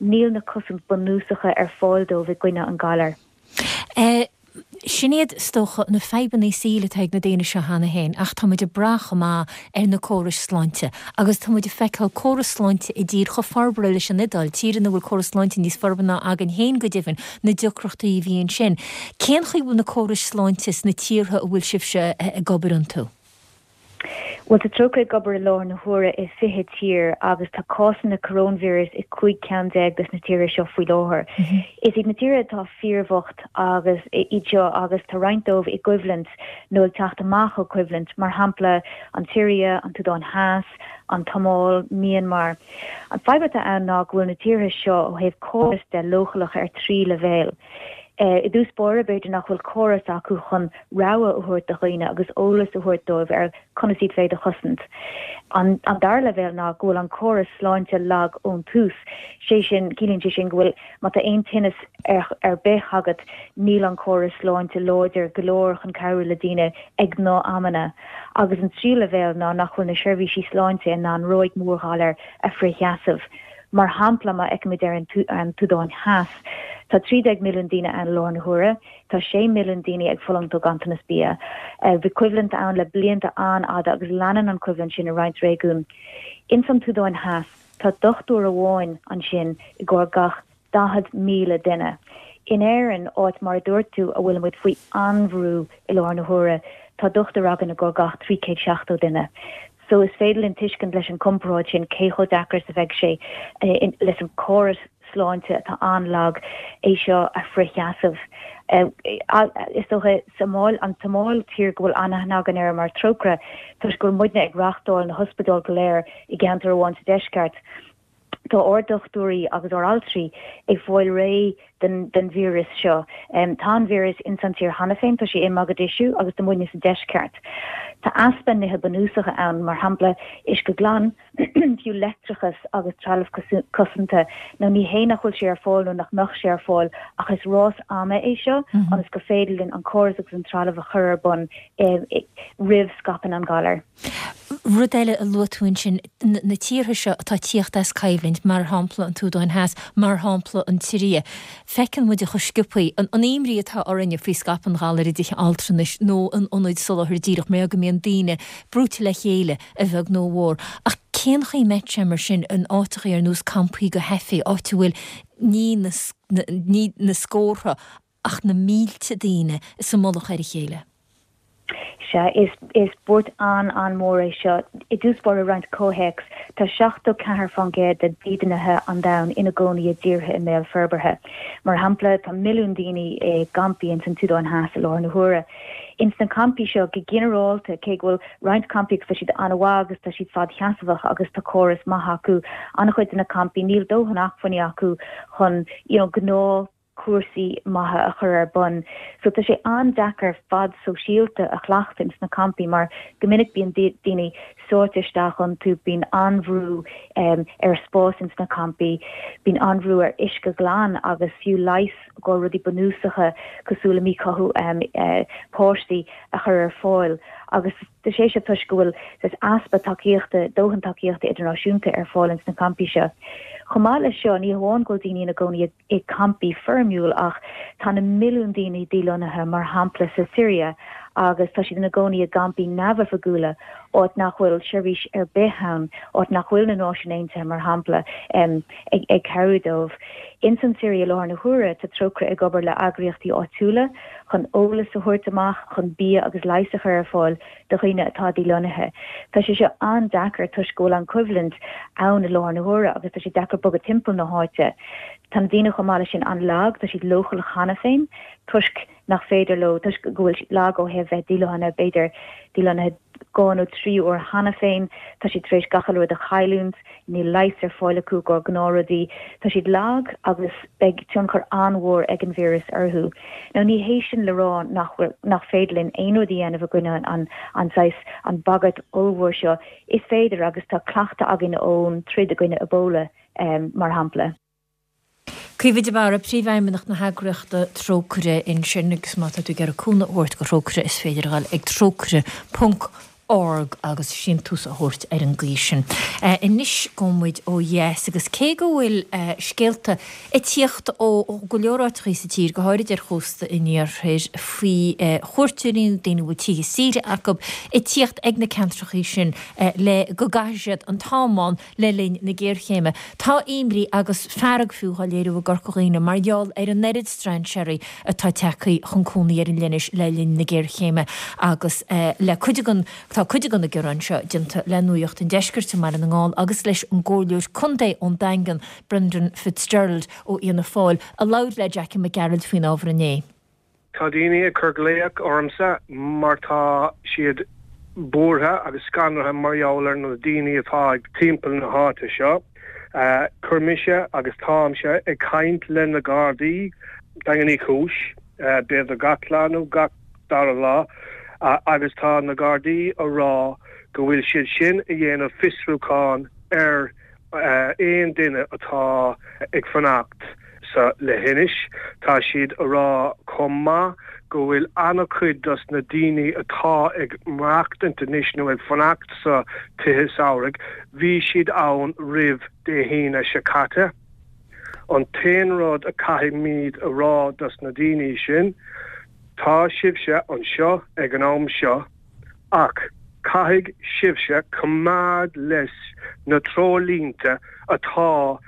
níl na cosaint bunúsacha ar fáil dóibh i gcoinne an galair. Sin iad, is dócha, na fadhbanna saoil atá ag na daoine seo cheana féin ach tá muid ag brath chomh maith ar na córais sláinte agus tá muid ag feiceáil córas sláinte i dtír chomh forbartha leis an Iodáil, tír ina bhfuil córas sláinte níos forbartha ná againn féin go deimhin, na deacrachtaí a bhí ansin. Cén chaoi a bhfuil na córais sláinte sna tíortha a bhfuil sibhse ag obair iontu? Bhuel, tá Trócaire ag obair i láthair na huaire i 20 tír agus tá cásanna coróinvíreas i 15 ceann des na tíortha seo faoi láthair. Is iad na tíortha atá fíorbhocht agus iad seo agus tá roinnt dóibh i gcoimhlint nó ag teacht amach ó choimhlint, mar shampla an tSiria, an tSúdáin Theas, an tSomáil, Myanmar. An fadhb atá ann ná go bhfuil na tíortha seo ó thaobh córas de leochaileach ar thrí leibhéal. I dtús báire, b'fhéidir nach bhfuil córas acu chun rabhadh a thabhairt do dhaoine agus eolas a thabhairt dóibh ar conas iad féin a chosaint. An dara leibhéal ná go bhfuil an córas sláinte lag ón tús, sé sin, ciallaíonn sé sin go bhfuil, má tá aon tinneas ar bith agat, níl an córas sláinte láidir go leor chun cabhrú le daoine ag na amanna. Agus an tríú leibhéal ná nach bhfuil na seirbhísí sláinte in ann ráig mhór ghalair a fhrithsheasamh. Mar shampla, má fheicimid ar an tSúdáin Theas, tá 13 milliún daoine ann i láthair na huaire, tá 6 milliún daoine ag fulaingt ó ghanntanas bia. Bhí coimhlint ann le blianta an-fhada agus leanann an choimhlint sin i roinnt réigiún. Ins an tSúdáin Theas, tá dochtúir amháin ansin i gcomhair gach 40,000 duine. In Éirinn, áit mar a dúirt tú a bhfuilimid faoi an-bhrú i láthair na huaire, tá dochtúir againn i gcomhair gach 370 duine. So is féidir linn tuiscint leis an comparáid sin cé chomh deacair is a bheidh sé leis an córas. sláinte atá an-lag é seo a fhrithsheasamh. Is dócha sa an tSomáil, tír go bhfuil an-aithne againn air mar Trócaire, toisc go bhfuil muidne ag reáchtáil na hospidéal go léir i gceantar amháin sa deisceart, tá ár dochtúirí agus ár altraí ag fáil réidh den den víreas seo. Tá an víreas ins an tír cheana féin, tá sé i Mogadishu agus tá muidne sa deisceart. Tá easpa nithe bunúsacha ann, mar shampla uisce glan, fiú leictreachas agus trealamh cosanta. Nó ní hé nach bhfuil sé ar fáil nó nach mbeadh sé ar fáil ach is rás ama é seo ionas gur féidir linn an córas agus an trealamh a chur ar bun roimh scaipeann an galar. Rud eile a luaigh tú ansin, na tíortha seo atá ag tíocht as coimhlint, mar shampla an tSúdáin Theas, mar shampla an tSiria, feiceann muid chomh sciobthaí an imní atá orainne faoi scaipeadh an ghalair i dtithe altranais nó in ionaid soláthair díreach mar go mbíonn daoine brúite le chéile a bheag nó a mhór. Ach cén chaoi a mbeadh sé mar sin in áiteachaí ar nós campaí do theifigh, áit a bhfuil ní na ní na scórtha ach na mílte daoine sa mullach ar a chéile? Sea, is is buairt an-an-mhór é seo. I dtús báire i roinnt comhthéacs, tá 74% de dhídeanaithe an domhain ina gcónaí i dtíortha i mbéal forbartha. Mar shampla, tá milliún daoine i gcampaí ins an tSúdáin Theas i láthair na huaire. Ins na campaí seo, go ginearálta, cé go bhfuil roinnt campaí agus tá siad an-mhaith agus tá siad fadsheasamhach agus tá córas maith acu, an-chuid de na campaí, níl dóthain acmhainní acu chun you know gnáth cúrsaí maithe a chur ar bun. So tá sé an-deacair fad sóisialta a chleachtadh ins na campaí mar go minic bíonn daoine sáite isteach iontu, bíonn an-bhrú ar spás ins na campaí, bíonn an-bhrú ar uisce glan agus fiú leigheas go rudaí bunúsacha cosúil le míchothú páistí a chur ar fáil agus tá sé seo toisc go bhfuil saghas easpa tacaíochta, dóthain tacaíochta idirnáisiúnta ar fáil ins na campaí seo. Chomh maith leis seo, ní hamháin go bhfuil daoine ina gcónaí i gcampaí foirmiúil ach tá na milliúin daoine dílonnaithe, mar shampla sa Siria, agus tá siad ina gcónaí i gcampaí neamhoifigiúla, áit nach bhfuil seirbhís ar bith ann, áit nach bhfuil na Náisiúin Aontaithe, mar shampla, ag cabhrú dóibh. Ins an tSiria i láthair na huaire, tá Trócaire ag obair le eagraíochtaí áitiúla chun eolas a thabhairt amach, chun bia agus leigheas a chur ar fáil do dhaoine atá dílonnaithe. Tá sé seo an-deacair toisc go bhfuil an choimhlint ann i láthair na huaire agus tá sé deacair bogadh timpeall na háite. Tá na daoine chomh maith leis sin an-lag, tá siad leochaileach cheana féin toisc nach féidir leo, toisc go bhfuil siad lag ó thaobh bheith dílonnaithe, b'fhéidir dílonnaithe 2 nó 3 uair cheana féin, tá siad tar éis gach uile rud a chailliúint, níl leigheas ar fáil acu i gcomhair gnáthrudaí, tá siad lag agus beidh tionchar an-mhór ag an víreas orthu. Now ní hé sin le rá nach bhfuil, nach féidir linn aon rud a dhéanamh i gcoinne an, an saghas, an bagairt ollmhór seo, is féidir agus tá cleachtadh againn ón troid i gcoinne Ebola, mar shampla. Caoimhe de Barra, Príomhfheidhmeannach na heagraíochta Trócaire ansin agus má tá tú ag iarraidh cúnamh a thabhairt do Thrócaire is féidir a dhul ag trócaire ponc org agus síntiús a thabhairt ar an gcaoi sin. Anois gabhfaidh muid ó dheas agus cé go bhfuil scéalta ag tíocht ó go leor áiteachaí sa tír, go háirid ar chósta an iarthair, faoi chuairteoirí nó daoine a bhfuil tithe saoire acu ag tíocht ag na ceantrachaí sin le go gcaithfidh siad an t-am ann Le linn na géarchéime, tá imní agus fearg fiú á léiriú i gCorca Dhuibhne mar gheall ar an oiread strainséirí atá tagtha chun cónaí ar an leithinis le linn na géarchéime agus le cuid den tá cuid de na gearáin seo déanta le Nuacht an Deiscirt i mBaile na nGall agus leis an gComhairleoir Contae ón Daingean, Brendan Fitzgerald ó Fhianna Fáil, a labhair le Jackie Mac Gearailt faoin ábhar inné. Tá daoine ag cur glaoch ormsa mar tá siad buartha agus scanraithe mar gheall ar na daoine atá ag timpeall na háite seo. Chuir mise agus táimse ag caint le na Gardaí, Daingean Uí Chúis, b'fhéidir gach lá nó gach dara lá agus tá na Gardaí a rá go bhfuil siad sin a dhéanamh fiosrúchán ar aon duine atá ag fanacht sa leithinis. Tá siad a rá chomh maith go bhfuil an-chuid dos na daoine atá ag maireachtaint anois nó ag fanacht sa tithe samhraidh, bhí siad ann roimh Dé hAoine seo caite. An t-aon rud a caithfimid a rá dos na daoine sin, tá sibhse anseo ag an am seo, Ach caithfidh sibhse coimeád leis na treoirlínte atá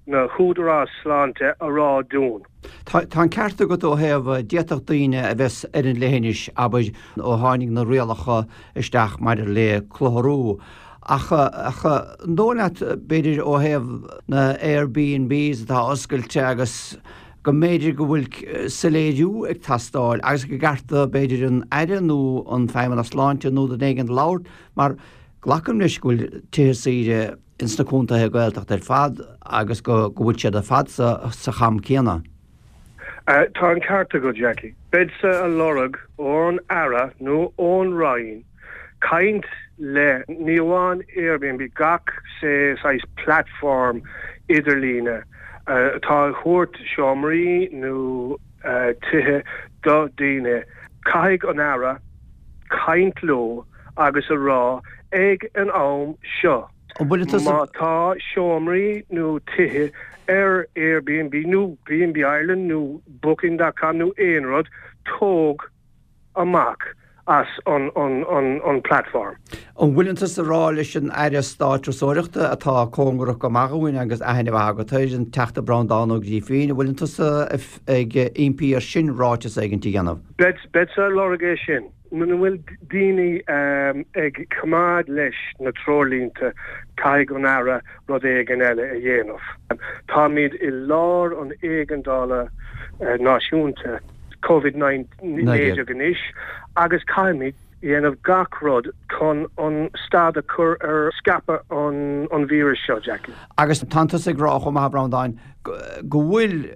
na húdaráis sláinte a rá dúinn. Tá an ceart agat ó thaobh, d'fhéadfadh daoine a bheas ar an leithinis, abair, ó tháinig na rialacha isteach maidir le clutharú. Ach, ach an dóigh leat, b'fhéidir ó thaobh na Airbnbs atá oscailte agus go mb'fhéidir go bhfuil soiléiriú ag teastáil agus go gceart do b'fhéidir an Aire nó an Feidhmeannach Sláinte nó duine éigin labhairt mar glacaim leis go bhfuil tithe saoire ins na contaetha Gaeltachta ar fad agus go bhfuil siad ar fad sa cham céanna. Tá an ceart agat, Jackie. Beadsa a lorg ón Aire nó ón Roinn caint le, ní amháin Airbnb, gach saghas platform idirlíne atá ag thabhairt seomraí nó tithe do daoine. Caithfidh an Aire caint leo agus a rá ag an am seo, má tá seomraí nó tithe ar Airbnb nó B&B Ireland nó Booking dot com nó aon rud, tóg amach as an platform. An bhfuileann tusa ag rá leis an Aire Stáit Turasóireachta atá cóngarach go maith dhúinn agus aithne mhaith agat air, an Teachta Breandán Ó Grífín, an bhfuileann tusa ag impí air sin ráiteas éigint a dhéanamh? Beadsa ag lorg é sin. Muna bhfuil daoine ag coimeád leis na treoirlínte, caithfidh an Aire rud éigin eile a dhéanamh. Táimid i lár an éigeandála náisiúnta Covid 19 anois agus caithfimid dhéanamh gach rud chun an stad a chur ar scaipeadh an víris seo, Jackie. Agus tánn tusa ag rá chomh maith, a Bhreandáin, go bhfuil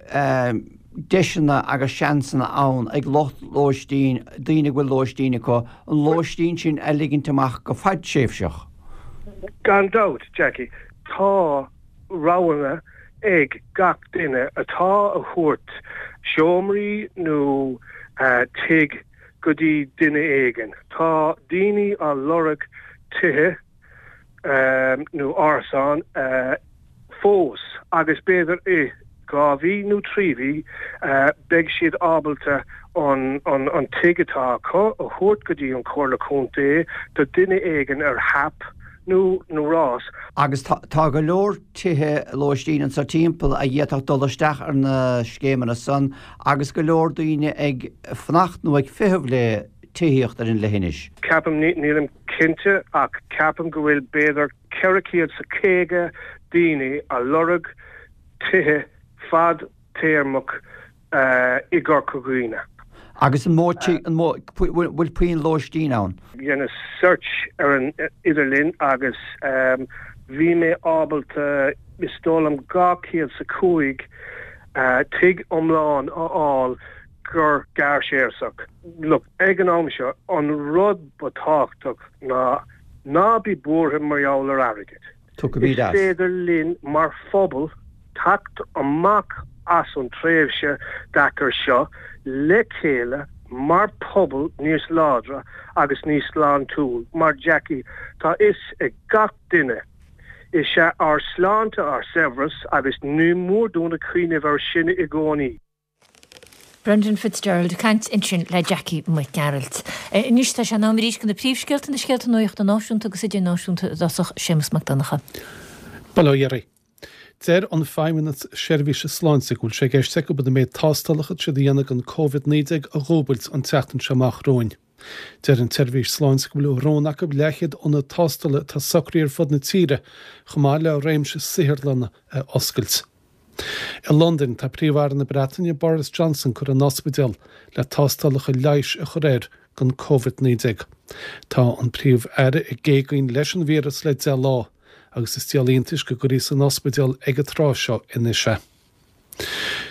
deiseanna agus seansanna ann ag lucht lóistín, daoine a bhfuil lóistín acu, an lóistín sin a ligint amach go fadtréimhseach. Gan dabht, Jackie, tá roghanna ag gach duine atá a thabhairt seomraí nó tigh go dtí duine éigin. Tá daoine á lorg tithe nó árasán fós agus b'fhéidir i 2 mhí nó 3 mhí beidh siad ábalta an tigh atá acu a thabhairt go dtí an Chomhairle Contae do duine éigin ar hap nó nó rás. Agus tá go leor tithe lóistín anso timpeall a d'fhéadfadh dul isteach ar na scéimeanna san agus go leor daoine ag fanacht nó ag feitheamh le tithíocht ar an leithinis. Ceapaim, nílim cinnte, ach ceapaim go bhfuil b'fhéidir 450 daoine a lorg tithe fad téarmach i gCorca Dhuibhne. Agus an mó an mó bhfuil puinn lóistín ann? Dheineas search ar an idirlíon agus bhí mé ábalta is dóigh liom 205 tigh iomlán a fháil gur gearrthréimhseach. Look, ag an am seo, an rud ba tábhachtach ná ná bí buartha mar gheall ar airgead. Is féidir linn mar phobal teacht amach as an tréimhse deacair seo le chéile mar phobal níos láidre agus níos sláintiúil mar Jackie tá fhios ag gach duine is ea ár sláinte ár saibhreas agus ní mór dúinn a cuimhneamh air sin i gcónaí. Brendan Fitzgerald ag caint ansin le Jackie Mac Gearailt. Anois tá sé in am arís do na príomhscéalta, na scéalta nuachta náisiúnta agus idirnáisiúnta i dtosach, Séamus Mac Donncha. Bail ó Dhia oraibh. Deir an Feidhmeannas Seirbhíse Sláinte go bhfuil sé i gceist acu an méid tástálacha atá siad a dhéanamh don Covid-19 a dhúbailt an tseachtain seo amach romhainn. Deir an tSeirbhís Sláinte go bhfuil rún acu leathchéad ionad tástála atá socraithe ar fud na tíre, chomh maith le réimse saotharlanna a oscailt. I Londain, tá Príomh-Aire na Breataine, Boris Johnson curtha in ospidéal le tástálacha leighis a chur air don Covid-19. Tá an Príomh-Aire ag géagaoin leis an víreas le 10 lá agus is díol iontais go gcuirfí san ospidéal ag an tráth seo anois é.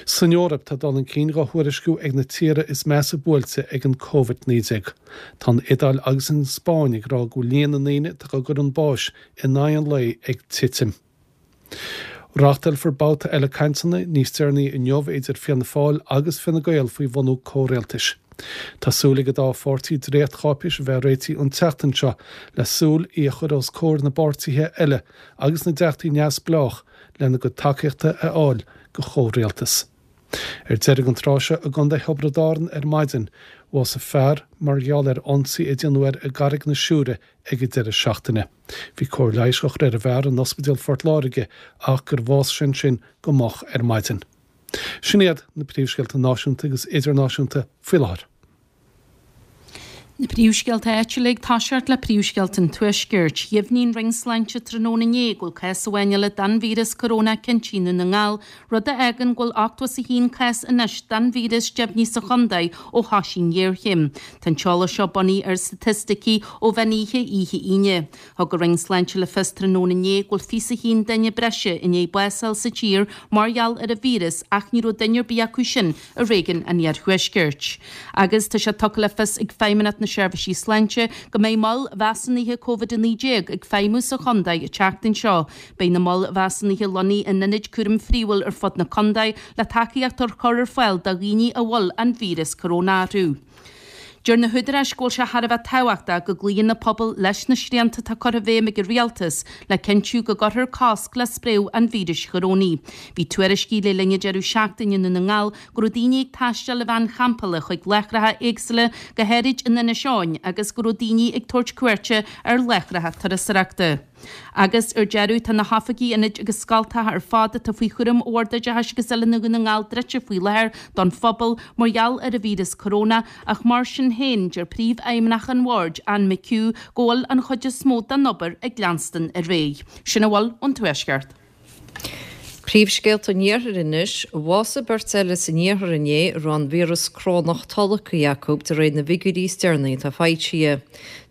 San Eoraip, tá dul chun cinn dhá thuairisciú ag na tíortha is measa buailte ag an Covid-19. Tá an Iodáil agus an Spáinn ag rá go bhfuil líon na ndaoine atá dhá gcur chun báis in aghaidh an lae ag titim. Reáchtálfar babhta eile cainteanna níos deireanaí inniu idir Fianna Fáil agus Fine Gael faoi bhunú comhrialtais. Tá súil ag an dá pháirtí dréachtcháipéis a bheith réitithe an tseachtain seo le súil í a chur os comhair na bpáirtithe eile agus na dteachtaí neamhspleách lena gcuid tacaíochta a fháil do chomhrialtas. Ar deireadh an tráth seo i gContae Thiobraid Árann ar maidin, bhásaigh fear mar gheall ar ionsaí a déanadh air i gCarraig na Siúire ag an deireadh seachtaine. Bhí cóir leighis á chur ar an bhfear in Ospidéal Phort Láirge ach gur bhásaigh sé ansin go moch ar maidin. Sin iad na príomhscéalta náisiúnta agus idirnáisiúnta faoi láthair. Na príomhscéalta áitiúla ag toiseacht le príomhscéalta an Tuaiscirt. Dheimhnigh an Roinn Sláinte tráthnóna inné go bhfuil cás amháin eile den víreas corónach cinnte i nDún na nGall, rud a fhágann go bhfuil 81 cás anois den víreas deimhnithe sa chontae ó thosaigh an ghéarchéim. Tá an t-eolas seo bunaithe ar staitisticí ó mheán oíche oíche Aoine. Thug an Roinn Sláinte le fios tráthnóna inné go bhfuil 21 duine breise i ndiaidh bás a fháil sa tír mar gheall ar an víreas ach ní raibh duine ar bith acu sin i réigiún an Iarthuaiscirt. Agus tá sé tugtha le fios ag Feidhmeannacht na Seirbhísí Sláinte go mbeidh moil mheasúnaithe Covid-19 ag feidhmiú sa chontae an tseachtain seo. Beidh na moil mheasúnaithe lonnaithe in ionaid cúraim phríomhúil ar fud na contae le tacaíocht a chur ar fáil do dhaoine a bhfuil an víreas corónach orthu. Deir na húdaráis go bhfuil sé thar a bheith tábhachtach go gcloíonn na pobail leis na srianta atá curtha i bhfeidhm ag an rialtas le cinntiú go gcuirfear cosc le spréadh an víris chorónaigh. Bhí tuairiscí le linn an deireadh seachtaine i nDún na nGall go raibh daoine ag taisteal i veain champála chuig láithreacha éagsúla, go háirid in Inis Eoghain, agus go raibh daoine ag tabhairt cuairte ar láithreacha turasóireachta. Agus, ar deireadh, tá na hoifigí, ionaid agus scoltacha ar fad atá faoi chúram Bhord Oideachais agus Oiliúna Dhún na nGall druidte faoi láthair don phobal mar gheall ar an víreas corónach ach mar sin féin, deir Príomhfheidhmeannach an Bhoird, Anne McHugh, go bhfuil an chuid is mó den obair ag leanstan ar aghaidh. Sin a bhfuil ón Tuaisceart. Príomhscéalta an Iarthair anois. Bhásaigh beirt eile san iarthar inné a raibh an víreas corónach tolgtha acu de réir na bhfigiúirí is deireanaí atá foilsithe.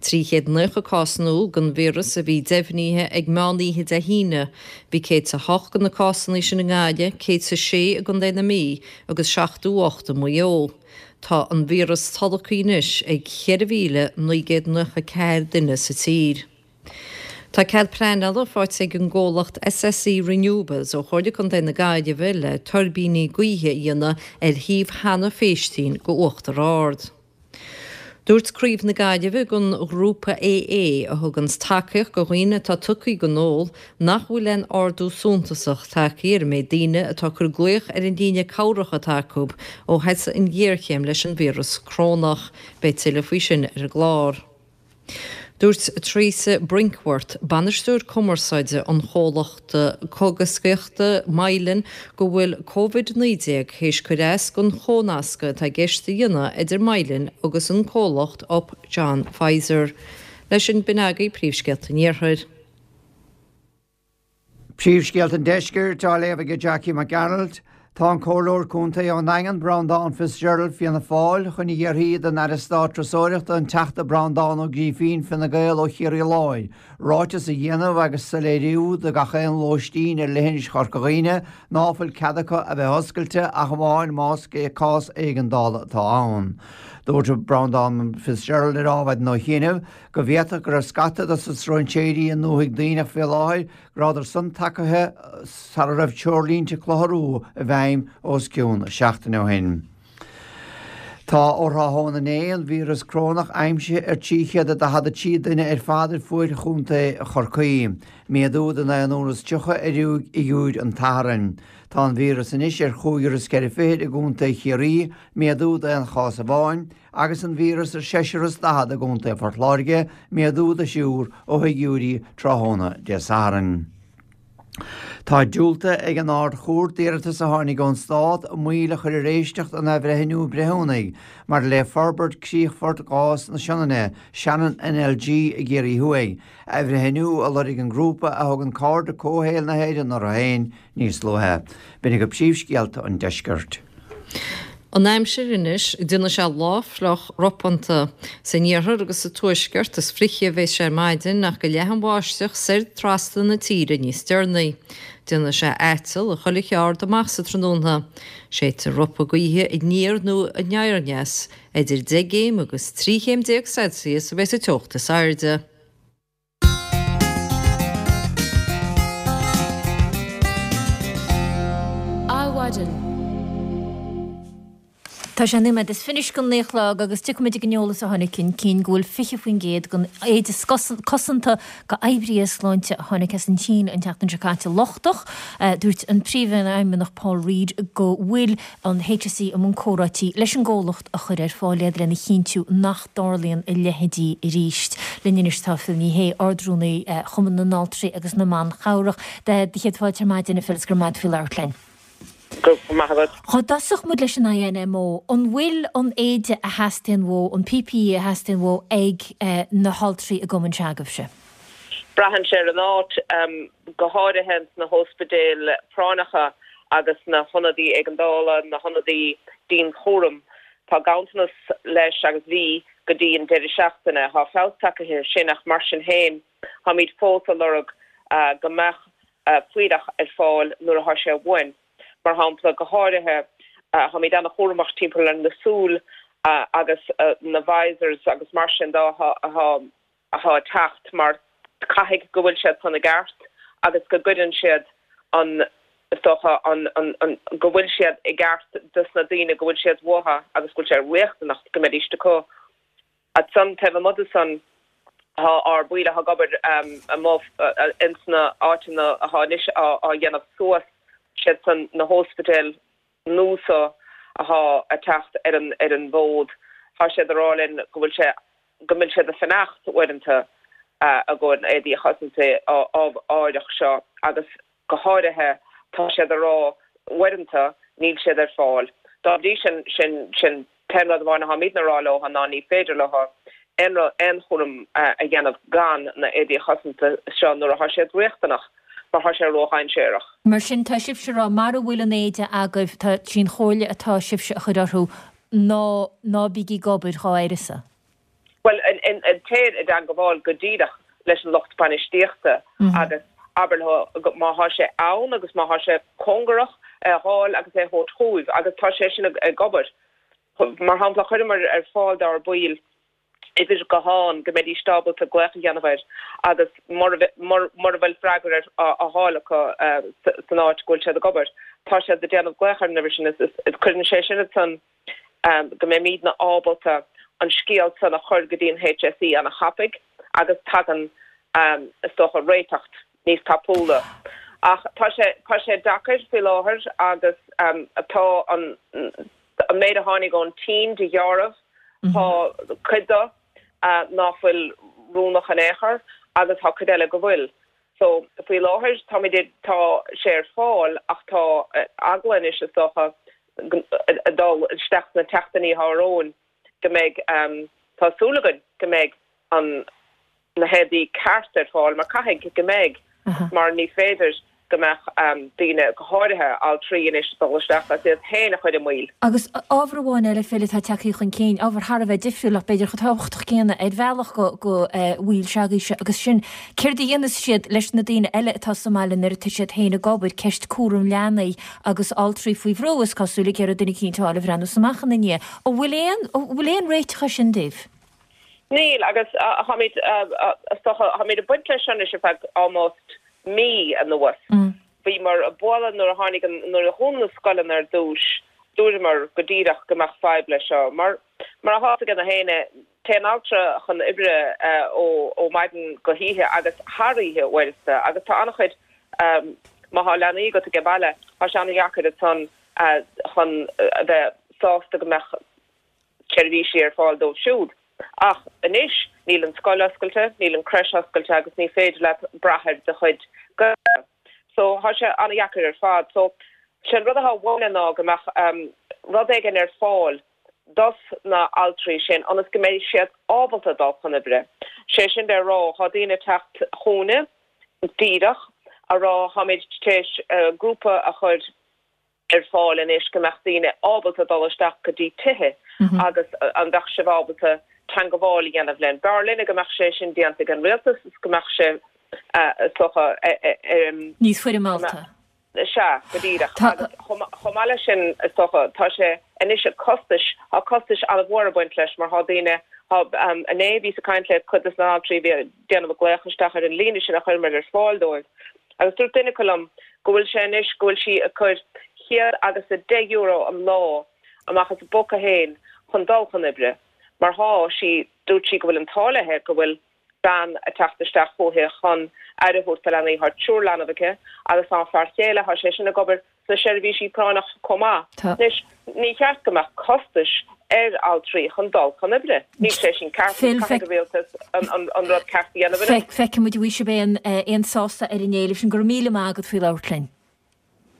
390 cás nua den víreas a bhí deimhnithe ag meán oíche Dé hAoine. Bhí 108 de na cásanna sin i nGaillimh, 106 i gContae na Mí agus 78 i Maigh Eo. Tá an víreas tolgtha anois ag 4,994 duine sa tír. Tá cead pleanála faighte ag an gcomhlacht SSE Renewables ó Chomhairle Contae na Gaillimhe le tuirbíní gaoithe a dhéanamh ar shuíomh Hannah Phéistín go Uachtar Ard. Dúirt Craobh na Gaillimhe den ghrúpa AA, a thuganns tacaíocht go dhaoine atá tugtha don ól, nach bhfuil aon ardú suntasach tagtha ar an méid daoine atá ag cur glaoch ar an líne cabhrach atá acu ó thosaigh an ghéarchéim leis an víreas corónach. Beidh tuilleadh faoi sin ar an gclár. Dúirt Teresa Brinkworth, bainisteoir cumarsáide an chomhlachta cógaisíochta Mylan, go bhfuil Covid-19 théis cur as don chomhnascadh atá i gceist a dhéanamh idir Mylan agus an comhlacht Upjohn Pfizer. Leis sin, b'in agaibh príomhscéalta an Iarthair. Príomhscéalta an Deiscirt á léamh ag Jackie Mac Gearailt. Tá an Comhairleoir Contae ón nDaingean, Breandán Fitzgerald, Fianna Fáil, chun a iarraidh don Aire Stáit Turasóireachta, an Teachta Breandán Ó Grífín, Fine Gael ó Chiarraí Láir, ráiteas a dhéanamh agus soiléiriú do gach aon lóistín ar leithinis Chorca Dhuibhne ná fuil cead acu a bheith oscailte ach amháin más cás éigeandála atá ann. Dúirt Breandán Fitzgerald ar Adhmhaidin ó chianaibh go bhféadfadh go raibh scata dos na stróinséirí i ndúthaigh Duibhneach fé láthair, go rabhadar san tagaithe sara raibh treoirlínte clutharú i bhfeidhm os cionn seachtaine ó shin. Tá ó thráthnóna inné an víreas crónach aimsithe ar 343 duine ar fad ar fuaid chontae Chorcaí, méadú de naonúr is 30 ar fhigiúir an tSathairn. Tá an víreas anois ar chúigear is ceithre fichid i gcontae Chiarraí, méadú d'aon chás amháin, agus an víreas ar seisear is 40 i gContae Phort Láirge, méadú de thriúr ó fhigiúirí tráthnóna Dé Sathairn. Tá diúltaithe ag an Ard-Chúirt d'iarratas a tháinig ón Stát moill a chur ar éisteacht an athbhreithniú breithiúnaigh maidir le forbairt críochfort gás na Sionainne, Shannon NLG, i gCiarraí Thuaidh, athbhreithniú a lorg an grúpa a thugann Cairde Comhshaoil na hÉireann orthu féin níos luaithe. B'in agaibh príomhscéalta an deiscirt. An aimsir anois, déanfaidh sé lá fliuch ropánta. San iarthar agus sa tuaisceart is fliche a bheas sé ar maidin ach go leathfaidh an bháisteach soir trasna na tíre níos deireanaí. Déanfaidh sé aiteal i chuile cheard amach sa tráthnóna. Séidfidh ropadh gaoithe aniar nó aniardheas. Idir 10 gcéim agus 13 chéim Celsius a bheas an teocht is airde. Adhmhaidin. Tá sé nóiméad is fiche don naoi a chlog agus tiocfaimid ag an eolas a tháinig chun cinn go bhfuil 20% den éide cosanta go oibrithe sláinte a tháinig as an tSín an tseachtain seo caite lochtach. Dúirt an Príomhfheidhmeannach Paul Reid go bhfuil an HSE i mbun comhráití leis an gcomhlacht a chuir ar fáil iad lena chinntiú nach dtarlaíonn a leithéidí arís. Linn anois tá Phil Ní Sheaghdha, Ard-Rúnaí Chumann na nAltraí agus na mBan Chabhrach. Do chéad fáilte ar maidin, a Phil, is go raibh maith agat faoi labhairt linn. Go raibh maith agat. Dhá dtosódh muid leis an INMO, an bhfuil an éide a theastaíonn uathu, an PPE a theastaíonn uathu ag na haltraí i gcumann se'agaibhse? Braitheann sé ar an áit, go háirithe sna hóspidéil práinneacha agus na hionadaí éigeandála, na hionadaí dianchúraim. Tá ganntanas leis agus bhí go dtí an deireadh seachtaine. Tá feabhas tagtha air sin ach mar sin féin táimid fós ag lorg go mbeadh fuílleach ar fáil nuair atá sé uainn. Mar shampla, go háirithe, táimid an-chúramach timpeall ar na súil agus na visors agus mar sin de atá ag teacht mar caithfidh go bhfuil siad san i gceart agus go gcuireann siad an, is dócha, an, an, go bhfuil siad i gceart dos na daoine go bhfuil siad uathu agus go bhfuil sé riachtanach go mbeidís acu. Ansan, taobh amuigh de san, tá ár baill atá ag obair amuigh ins na áiteanna atá anois á dhéanamh suas, siad san na hóspidéil nua so atá ag teacht ar an ar an bhfód, tá siad ag rá linn go bhfuil sé, go mbíonn siad ag fanacht uaireanta i gcomhair na éadaí chosanta áirithe seo agus go háirithe tá siad ag rá uaireanta níl siad ar fáil. Dá bhrí sin, sin, sin t-aon rud amháin atáimidne a rá leo ná ní féidir leo aon rud, aon chúram a dhéanamh gan na éadaí chosanta seo nuair atá siad riachtanach mar tá sé ródhainséarach. Mar sin, tá sibhse a rá, mara bhfuil an éide agaibh, tá, sí an chomhairle atá sibhse a chur orthu ná, ná bígí ag obair dhá uireasa. Bhuel, téir i dteangabháil go díreach leis an lucht bainistíochta agus abair leo má thá sé ann agus má thá sé cóngarach, é a dh'fháil agus é a thabhairt chugaibh agus tá sé sin ag obair. Mar shampla, chuireamar ar fáil dár baill uimhir gutháin go mbeidís ábalta glaoch a dhéanamh air agus mura bhfuil freagra á fháil acu san áit go bhfuil siad ag obair, tá siad ag déanamh glaoch ar an uimhir sin is cuireann sé sin ansan go mbeimidne ábalta an scéal san a chur go dtí an HSE ana thapaidh agus tagann is dócha réiteach níos tapúla. Ach tá sé, tá sé deacair faoi láthair agus tá an an méid a tháinig ón tSín de dheáramh, tá cuid de ná fuil oiriúnach in aon chor agus tá cuid eile go bhfuil. So, faoi láthair, táimid ag, tá sé ar fáil ach tá eagla anois, is dócha, ag dul isteach sna tseachtainí atá romhainn go mbeidh, tá súil againn go mbeidh an, na héadaí ceart ar fáil mar caithfidh go mbeidh mar ní féidir go mbeadh daoine, go háirithe altraí anois, ag dul isteach agus iad féin a chur i mbaol. Agus ábhar amháin eile, Phil, atá tagtha chun cinn, ábhar thar a bheith difriúil ach b'fhéidir chomh tábhachtach céanna ar bhealach do bhaill se'agaibhse, agus sin céard a dhéanas siad leis na daoine eile atá sa mbaile nuair atá siad féin ag obair, ceist cúram leanaí agus altraí faoi bhrú, is cosúil, ag iarraidh duine eicínt a fháil a bhreathnós amach ina ndiaidh. An bhfuil aon, an bhfuil aon réiteach air sin daoibh? Níl, agus táimid, is dócha, táimid ag baint leis seo anois ar feadh almost mí anuas. Bhíomar ag bualadh nuair a tháinig an, nuair a dhún na scoileanna ar dtús, dúramar go díreach go mbeadh fadhb leis seo. Mar, mar atá fhios ag gach éinne, téann altra chun oibre ó, ó maidin go hoíche agus thar oíche uaireanta agus tá an-chuid, má thá leanaí agat ag baile, tá sé an-dheacair ansan chun a bheith sásta go mbeadh seirbhísí ar fáil dóibh siúd. Ach anois níl an scoil oscailte, níl an creche oscailte agus ní féidir leat brath ar do chuid gaolta. So thá sé an-dheacair ar fad. So sé an rud athá uainne ná go mbeadh rud éigin ar fáil dos na altraí sin ionas go mbeidh siad ábalta dul chun oibre. Sé sin le rá, thá daoine ag teacht chugainne díreach a rá tháimid tar éis grúpa a chur ar fáil anois go mbeadh daoine ábalta dul isteach go dtí tithe agus an mbeadh sibh ábalta teangabháil a dhéanamh linn. B'fhearr linne go mbeadh sé sin déanta ag an rialtas is go mbeadh sé is dócha Níos foirmeálta. Sea, go díreach. Agus chomh maith leis sin is dócha tá sé anois costais, tá costais an-mhór ag baint leis mar tá daoine, tá, inné bhíos ag caint le cuid de na haltraí a bhí ag déanamh glaoch isteach ar an líne sin a chuireamar ar fáil dóibh Agus dúirt duine acu liom go bhfuil sé anois, go bhfuil sí ag cur €110 an lá amach as a bpóca féin chun dul chun oibre, mar thá sí, dúirt sí go bhfuil an t-ádh léi go bhfuil bean ag teacht isteach chúithi chun aire a thabhairt do leanaí, thá triúr leanbh aici agus tá a fear chéile, thá sé sin ag obair sna seirbhísí práinneach chomh maith. Anois, ní cheart go mbeadh costais ar altraí chun dul chun oibre. Níl sé sin ceart agus caithfidh an rialtas an rud ceart a dhéanamh anois. Feicfidh muid an bhfaighidh sibh aon sásamh ar an éileamh sin. Go raibh míle maith agat faoi labhairt linn.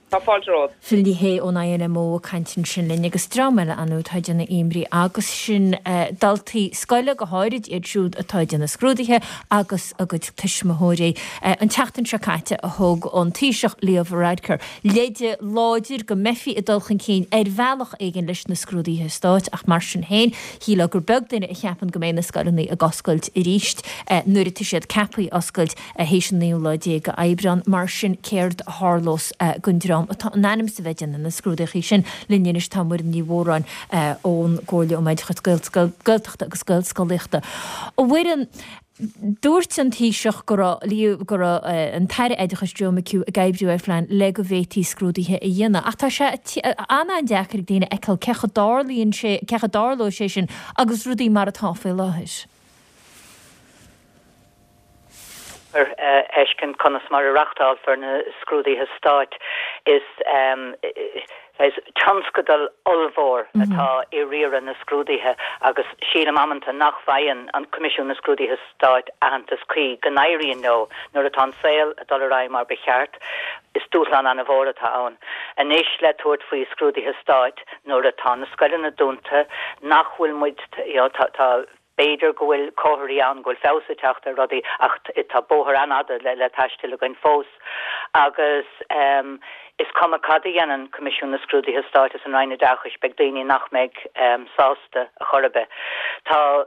Tá fáilte romhat. Phil Ní Sheaghdha ón INMO ag caint ansin linn agus dream eile ann atá ag déanamh imní agus sin daltaí scoile go háirid iad siúd atá ag déanamh scrúduithe agus a gcuid tuismitheoirí. An tseachtain seo caite a thug an Taoiseach Leo Varadkar leide láidir go mbeifí ag dul chun cinn ar bhealach éigin leis na scrúduithe stáit ach mar sin féin shílfeá gur beag duine a cheapann go mbeidh na scoileanna ag oscailt arís nuair atá siad ceaptha oscailt. Théis an naoú lá déag de Aibreán. Mar sin, céard a tharlós don dream atá in ainm is a bheith ag déanamh na scrúdaíochaí sin? Linn anois tá Muireann Ní Mhóráin ón gComhairle um Oideachas Gaeltachta agus Gaelscolaíochta. A Mhuireann, dúirt an Taoiseach go raibh go raibh an tAire Oideachais Joe McHugh ag oibriú ar phlean le go bhféadfaí scrúduithe a dhéanamh. Ach tá sé an-an-deacair ag daoine a fheiceáil cén chaoi a dtarlaíonn sé, cén chaoi a dtarlóidh sé sin agus rudaí mar atá faoi láthair. a fheiscint conas mar a reachtálfar na scrúduithe stáit. Is tionscadal ollmhór atá i riaradh na scrúduithe agus sílim amanta nach bhfaigheann an Coimisiún na Scrúduithe Stáit aitheantas cuí go n-éiríonn leo nuair atá an saol ag dul ar aghaidh mar ba cheart. Is dúshlán an-mhór atá ann anois le tabhairt faoi scrúduithe stáit nuair atá na scoileanna dúnta, nach bhfuil muid, you know, tá. B'fhéidir go bhfuil comharthaí ann go bhfuil feabhas ag teacht ar rudaí ach tá bóthar an-fhada le taisteal againn fós. Agus is cuma cad a dhéanann Coimisiún na Scrúduithe Stáit is an Roinn Oideachais, beidh daoine nach mbeidh sásta a chor ar bith. Tá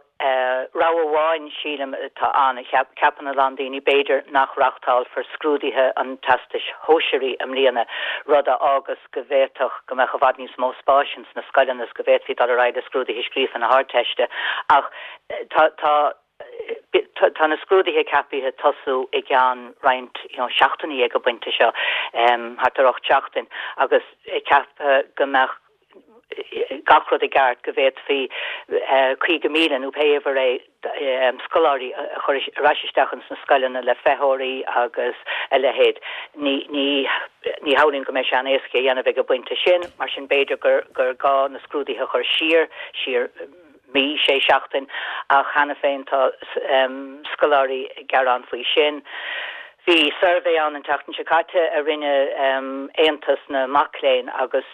rogha amháin, sílim, atá ann, ceapann a lán daoine, b'fhéidir nach reachtálfar scrúduithe an Teastais Shóisearaigh i mbliana, rud a fhágas go bhféadfadh go mbeadh i bhfad níos mó spáis ins na scoileanna is go bhféadfaí dul ar aghaidh le scrúduithe scríofa na hArdteiste. Ach tá, tá, tá na scrúduithe ceapaithe tosú i gceann roinnt, you know, seachtainí ag an bpointe seo, thart ar 8 seachtain, agus ceaptha go mbeadh gach rud i gceart, go bhféadfaí 50,000 nó pé uimhir é, scoláirí a chur ar ais isteach ins na scoileanna le feitheoirí agus a leithéid. Ní, ní, ní shamhlaím go mbeidh sé an-éasca a dhéanamh ag an bpointe sin, mar sin b'fhéidir gur, gur gá na scrúduithe a chur siar, siar mí, sé seachtain, ach cheana féin tá scoláirí ag gearán faoi sin. Bhí suirbhé ann an tseachtain seo caite a rinne Aontas na Mac Léinn agus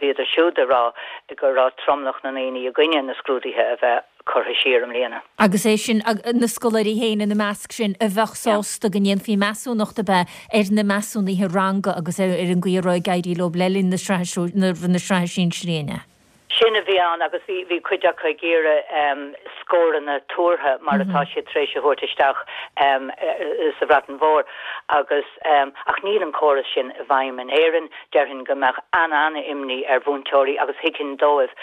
bhíodar siúd ag rá go raibh tromlach na ndaoine i gcoinne na scrúduithe a bheith curtha siar i mbliana. Agus é sin, na scoláirí féin ina measc sin, a bheadh sásta go ndéanfaí measúnacht ab ea ar na measúnuithe ranga agus ar an gcaoi a raibh ag éirí leo le linn na sraithe sinsearaí, an ea? Sin a bhí ann agus bhí, bhí cuid acu ag iarraidh scóranna tuartha mar atá siad tar éis a thabhairt isteach sa Bhreatain Mhór agus, ach níl an córas sin i bhfeidhm in Éirinn. Déarfainn go mbeadh an-an-imní ar mhúinteoirí agus thuigfinn dóibh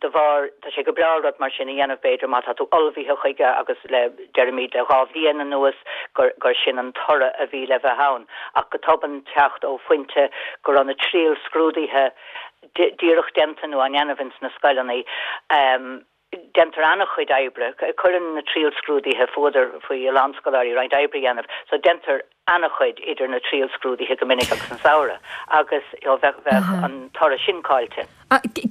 de bharr, tá sé go breá rud mar sin a dhéanamh b'fhéidir má tá tú ullmhaithe chuige agus le, deirimid le 2 bhliain anuas gur, gur sin an toradh a bhí le bheith ann ach go tobann teacht ó phointe go raibh na triailscrúduithe díreach déanta nó á ndéanamh ins na scoileanna. Déantar an-chuid oibre, cuireann na triailscrúduithe fuadar faoi a lán scoláirí roinnt oibre a dhéanamh, so déantar an-chuid idir na triailscrúduithe go minic agus an samhradh agus you know bheadh bheadh an toradh sin caillte.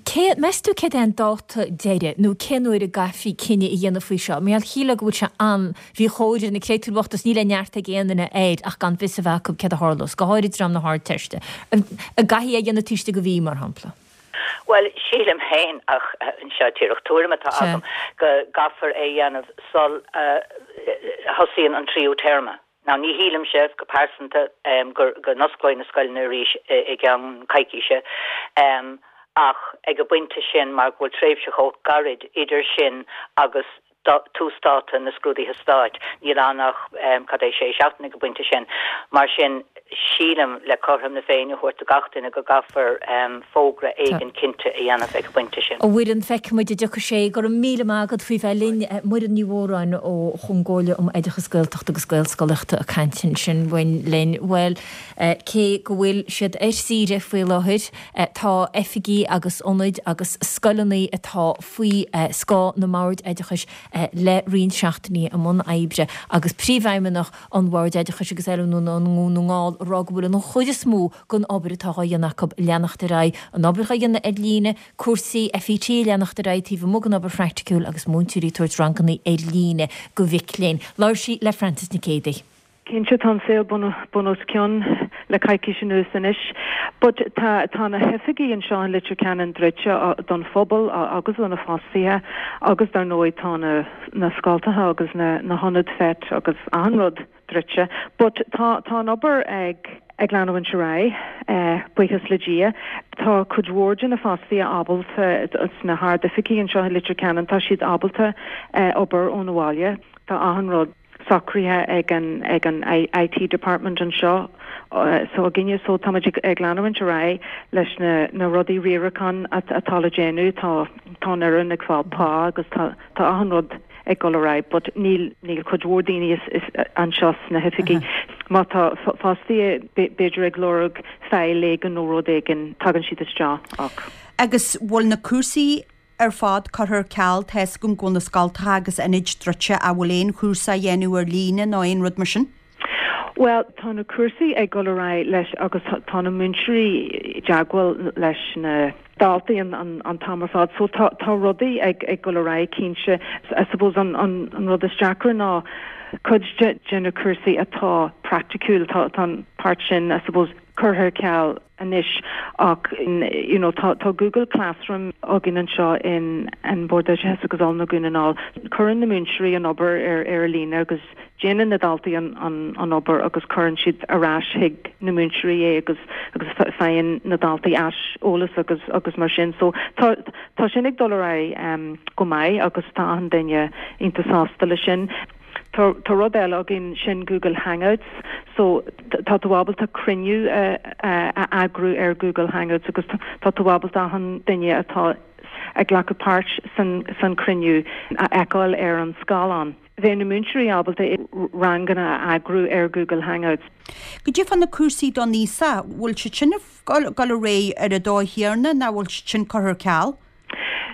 Cé, meas tú céard é an dáta deiridh nó cén uair a gcaithfí cinneadh a dhéanamh faoi seo? Mar gheall, shílfeá go bhfuil sé an, mhíchóir ar na créatúir bhochta is níl aon neart ag aon duine air ach gan fios a bheith acu céard a tharlós, go háirid dream na hArdteiste. An gcaithfí é a dhéanamh taobh istigh de mhí, mar shampla? Bhuel, sílim féin, ach seo díreach tuairim atá agam, go gcaithfear é a dhéanamh sul a thosaíonn an tríú téarma. Now, ní shílimse, go pearsanta, go n-osclóidh na scoileanna arís i gceann coicíse, ach ag an bpointe sin, mar go bhfuil tréimhse chomh gairid idir sin agus túsdáta na scrúduithe stáit. Níl ann ach, cad é, sé seachtaine ag an bpointe sin. Mar sin, sílim, le cothrom na Féinne a thabhairt do gach duine, go gcaithfear fógra éigin cinnte a dhéanamh ag an bpointe sin. A Mhuireann, feicfidh muid an dtiocfaidh sé. Go raibh míle maith agat faoi bheith linn. Muireann Ní Mhóráin ón gComhairle um Oideachas Gaeltachta agus Gaelscolaíochta ag caint ansin linn. Bhuel, cé go bhfuil siad ar saoire faoi láthair, tá oifigí agus ionaid agus scoileanna atá faoi scáth na mBord Oideachais le roinnt seachtainí i mbun oibre agus Príomhfheidhmeannach an Bhoird Oideachais agus Oiliúna i nDún na nGall ag rá go bhfuil an chuid is mó den obair atá dhá dhéanamh acu ag leanacht ar aghaidh, an obair dhá dhéanamh ar líne, cúrsaí FET ag leanacht ar aghaidh taobh amuigh den obair phraiticiúil agus múinteoirí ag tabhairt ranganna ar líne do mhic léinn. Labhair sí le Frances Nic Géadaigh. Cinnte tá an saol bun os cionn le coicís anuas anois but tá tá na hoifigí anseo in Leitir Ceanainn druidte don phobal agus do na fostaithe agus dar ndóigh tá na na scoltacha agus na na hionaid FET agus achan rud druidte. But tá tá an obair ag ag leanúint ar aghaidh, buíochas le Dia. Tá cuid mhór de na fostaithe ábalta sna hard-oifigí anseo i Leitir Ceanainn, tá siad ábalta obair ón bhaile. Tá achan rud socraithe ag an ag an IT department anseo s'againne so táimid ag ag leanúint ar aghaidh leis na na rudaí riaracháin atá le déanamh. Tá tá an fhoireann ag fáil pá agus tá tá achan rud ag dul ar aghaidh but níl níl cuid mhór daoine is is anseo sna hoifigí. Má tá fostaithe b'fhéidir ag lorg file éigin nó rud éigin tagann siad isteach ach. Agus bhfuil na cúrsaí ar fad curtha ar ceal, tá's agam go bhfuil na scoltacha agus ionaid druidte ach bhfuil aon chúrsa á dhéanamh ar líne nó aon rud mar sin? Bhuel, tá na cúrsaí ag dul ar aghaidh leis agus tá na múinteoirí i dteagmháil leis na daltaí an t-am ar fad so tá tá rudaí ag ag dul ar aghaidh cinnte. I suppose an an rud is deacra ná cuid de de na cúrsaí atá praiticiúil, tá tá an páirt sin I suppose curtha ar ceal anois ach you know tá tá Google Classroom againn anseo in An Bord Oideachais agus Oiliúna Dhún na nGall. Cuireann na múinteoirí an obair ar ar líne agus déanann na daltaí an an an obair agus cuireann siad ar ais chuig na múinteoirí é agus agus faigheann na daltaí aiseolas agus agus mar sin. So tá tá sin ag dul ar aghaidh um go maith agus tá achan duine iontach sásta leis sin. Tá tá rud eile againn, sin Google Hangouts. So tá tú ábalta cruinniú a a eagrú ar Google Hangouts agus tá tú ábalta achan duine atá ag glacadh páirt san san cruinniú a fheiceáil ar an scáileán. Bheadh na múinteoirí ábalta ranganna a eagrú ar Google Hangouts. Goidé fá na cúrsaí don aosach, bhfuil siad sin ag dul ar aghaidh ar an dóigh chéanna nó bhfuil siad sin curtha ar ceal?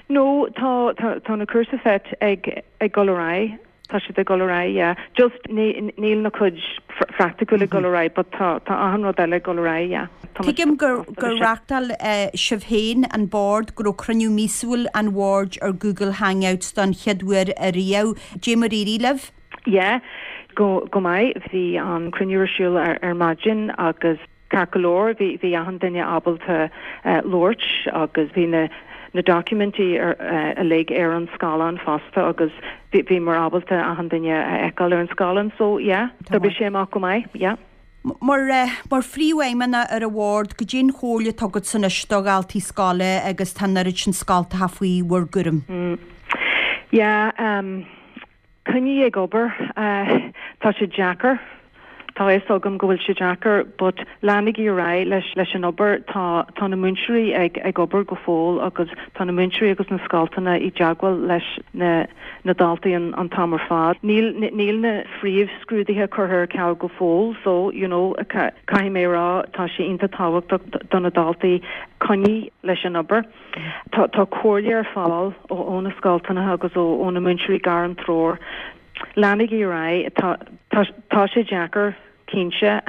No, tá tá tá na cúrsaí FET ag ag dul ar aghaidh. Tá siad ag dul ar aghaidh, yeah. Just ní níl na cuid phraiticiúil ag dul ar aghaidh but tá tá achan rud eile ag dul ar aghaidh, yeah. Tá muid Tuigim gur gur reachtáil sibh féin, an Bord, go raibh cruinniú míosúil an Bhoird ar Google Hangouts don chéad uair ariamh. Dé mar éirigh libh? Yeah, go go maith. Bhí an cruinniú ar siúl ar ar maidin agus. Ceart go leor, bhí, bhí achan duine ábalta labhairt agus bhí na, na doiciméidí uilig ar an scáileán fosta agus bhí, bhíomar ábalta achan duine a fheiceáil ar an scáileán so yeah, d'oibrigh sé amach go maith, yeah. Mar, mar phríomhfheidhmeannach ar an bhord, goidé an chomhairle atá agatsa anois do dhaltaí scoile agus tá an oiread sin scoltacha faoi bhur gcúram? Yeah, um. Coinnigh ag obair. Tá sé deacair. Tá a fhios agam go bhfuil sé deacair but leanaigí ar aghaidh leis leis an obair. Tá tá na múinteoirí ag ag obair go fóill agus tá na múinteoirí agus na scoltanna i dteagmháil leis na na daltaí an an t-am ar fad. Níl níl na phríomhscrúduithe curtha ar ceal go fóill so you know caithfidh mé a rá tá sé iontach tábhachtach do na daltaí coinnigh leis an obair. Tá tá comhairle ar fáil ó na scoltanna agus ó ó na múinteoirí gairmthreoir. Leanaigí ar aghaidh. Tá tá tá sé deacair, cinnte.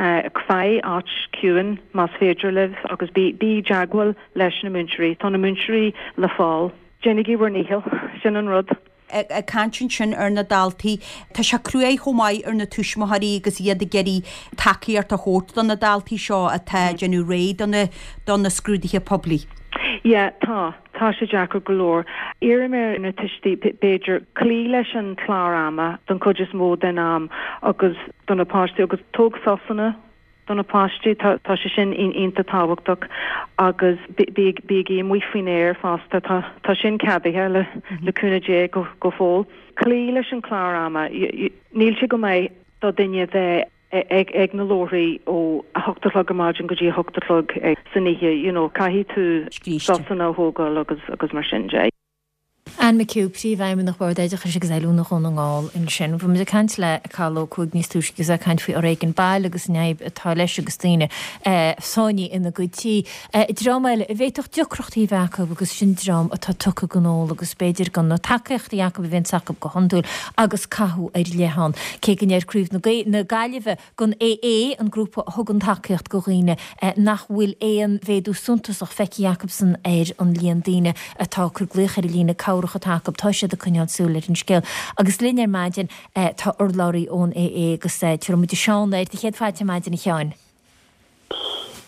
Faigh áit ciúin más féidir libh agus bí bí i dteagmháil leis na múinteoirí. Tá na múinteoirí le fáil. Déanaigí bhur ndícheall. Sin an rud. Ag caint ansin ar na daltaí, tá sé cruaidh chomh maith ar na tuismitheoirí agus iad ag iarraidh tacaíocht a thabhairt do na daltaí seo atá ag déanamh réidh do na do na scrúduithe poiblí. Yeah, tá. Tá sé deacair go leor. Iarraim ar na tuistí, b'fhéidir, cloí leis an chlár ama don chuid is mó den am agus do na páistí agus tóg sosanna Do na páistí, tá tá sé sin iontach tábhachtach agus bígí amuigh faoin aer fosta, tá tá sin ceadaithe le le cúnamh Dé go go fóill. Cloí leis an chlár ama. Níl sé go maith do duine bheith ag ag na leabharthaí ó 8 a chlog ar maidin go dtí 8 a chlog san oíche, you know, caithfidh tú sosanna a thógáil agus agus mar sin de. Anne McHugh, Príomhfheidhmeannach Bhord Oideachais agus Oiliúna Dhún na nGall ansin. Bhí muid ag caint le Cathal Ó Cuaig níos túisce agus é ag caint faoi fhoréigean baile agus an fhadhb atá leis agus daoine sáinnithe ina gcuid tí. Dream eile a bhféadfadh deacrachtaí a bheith acu agus sin dream atá tugtha don ól agus b'fhéidir gan na tacaíochtaí acu a bhíonns acu go hiondúil agus cathú ar leith ann. Cé go ndeir Craobh na Gaillimhe den AA, an grúpa a thugann tacaíocht go dhaoine nach bhfuil aon mhéadú suntasach feicthe acusan ar an líon daoine atá ag cur glaoch ar an líne cabhrach. teaghlach atá acu, tá siad ag coinneáil súil ar an scéal. Agus linn ar maidin tá urlabhraí ón AA agus tabharfaidh muid Seán air. Do chéad fáilte ar maidin a Sheáin.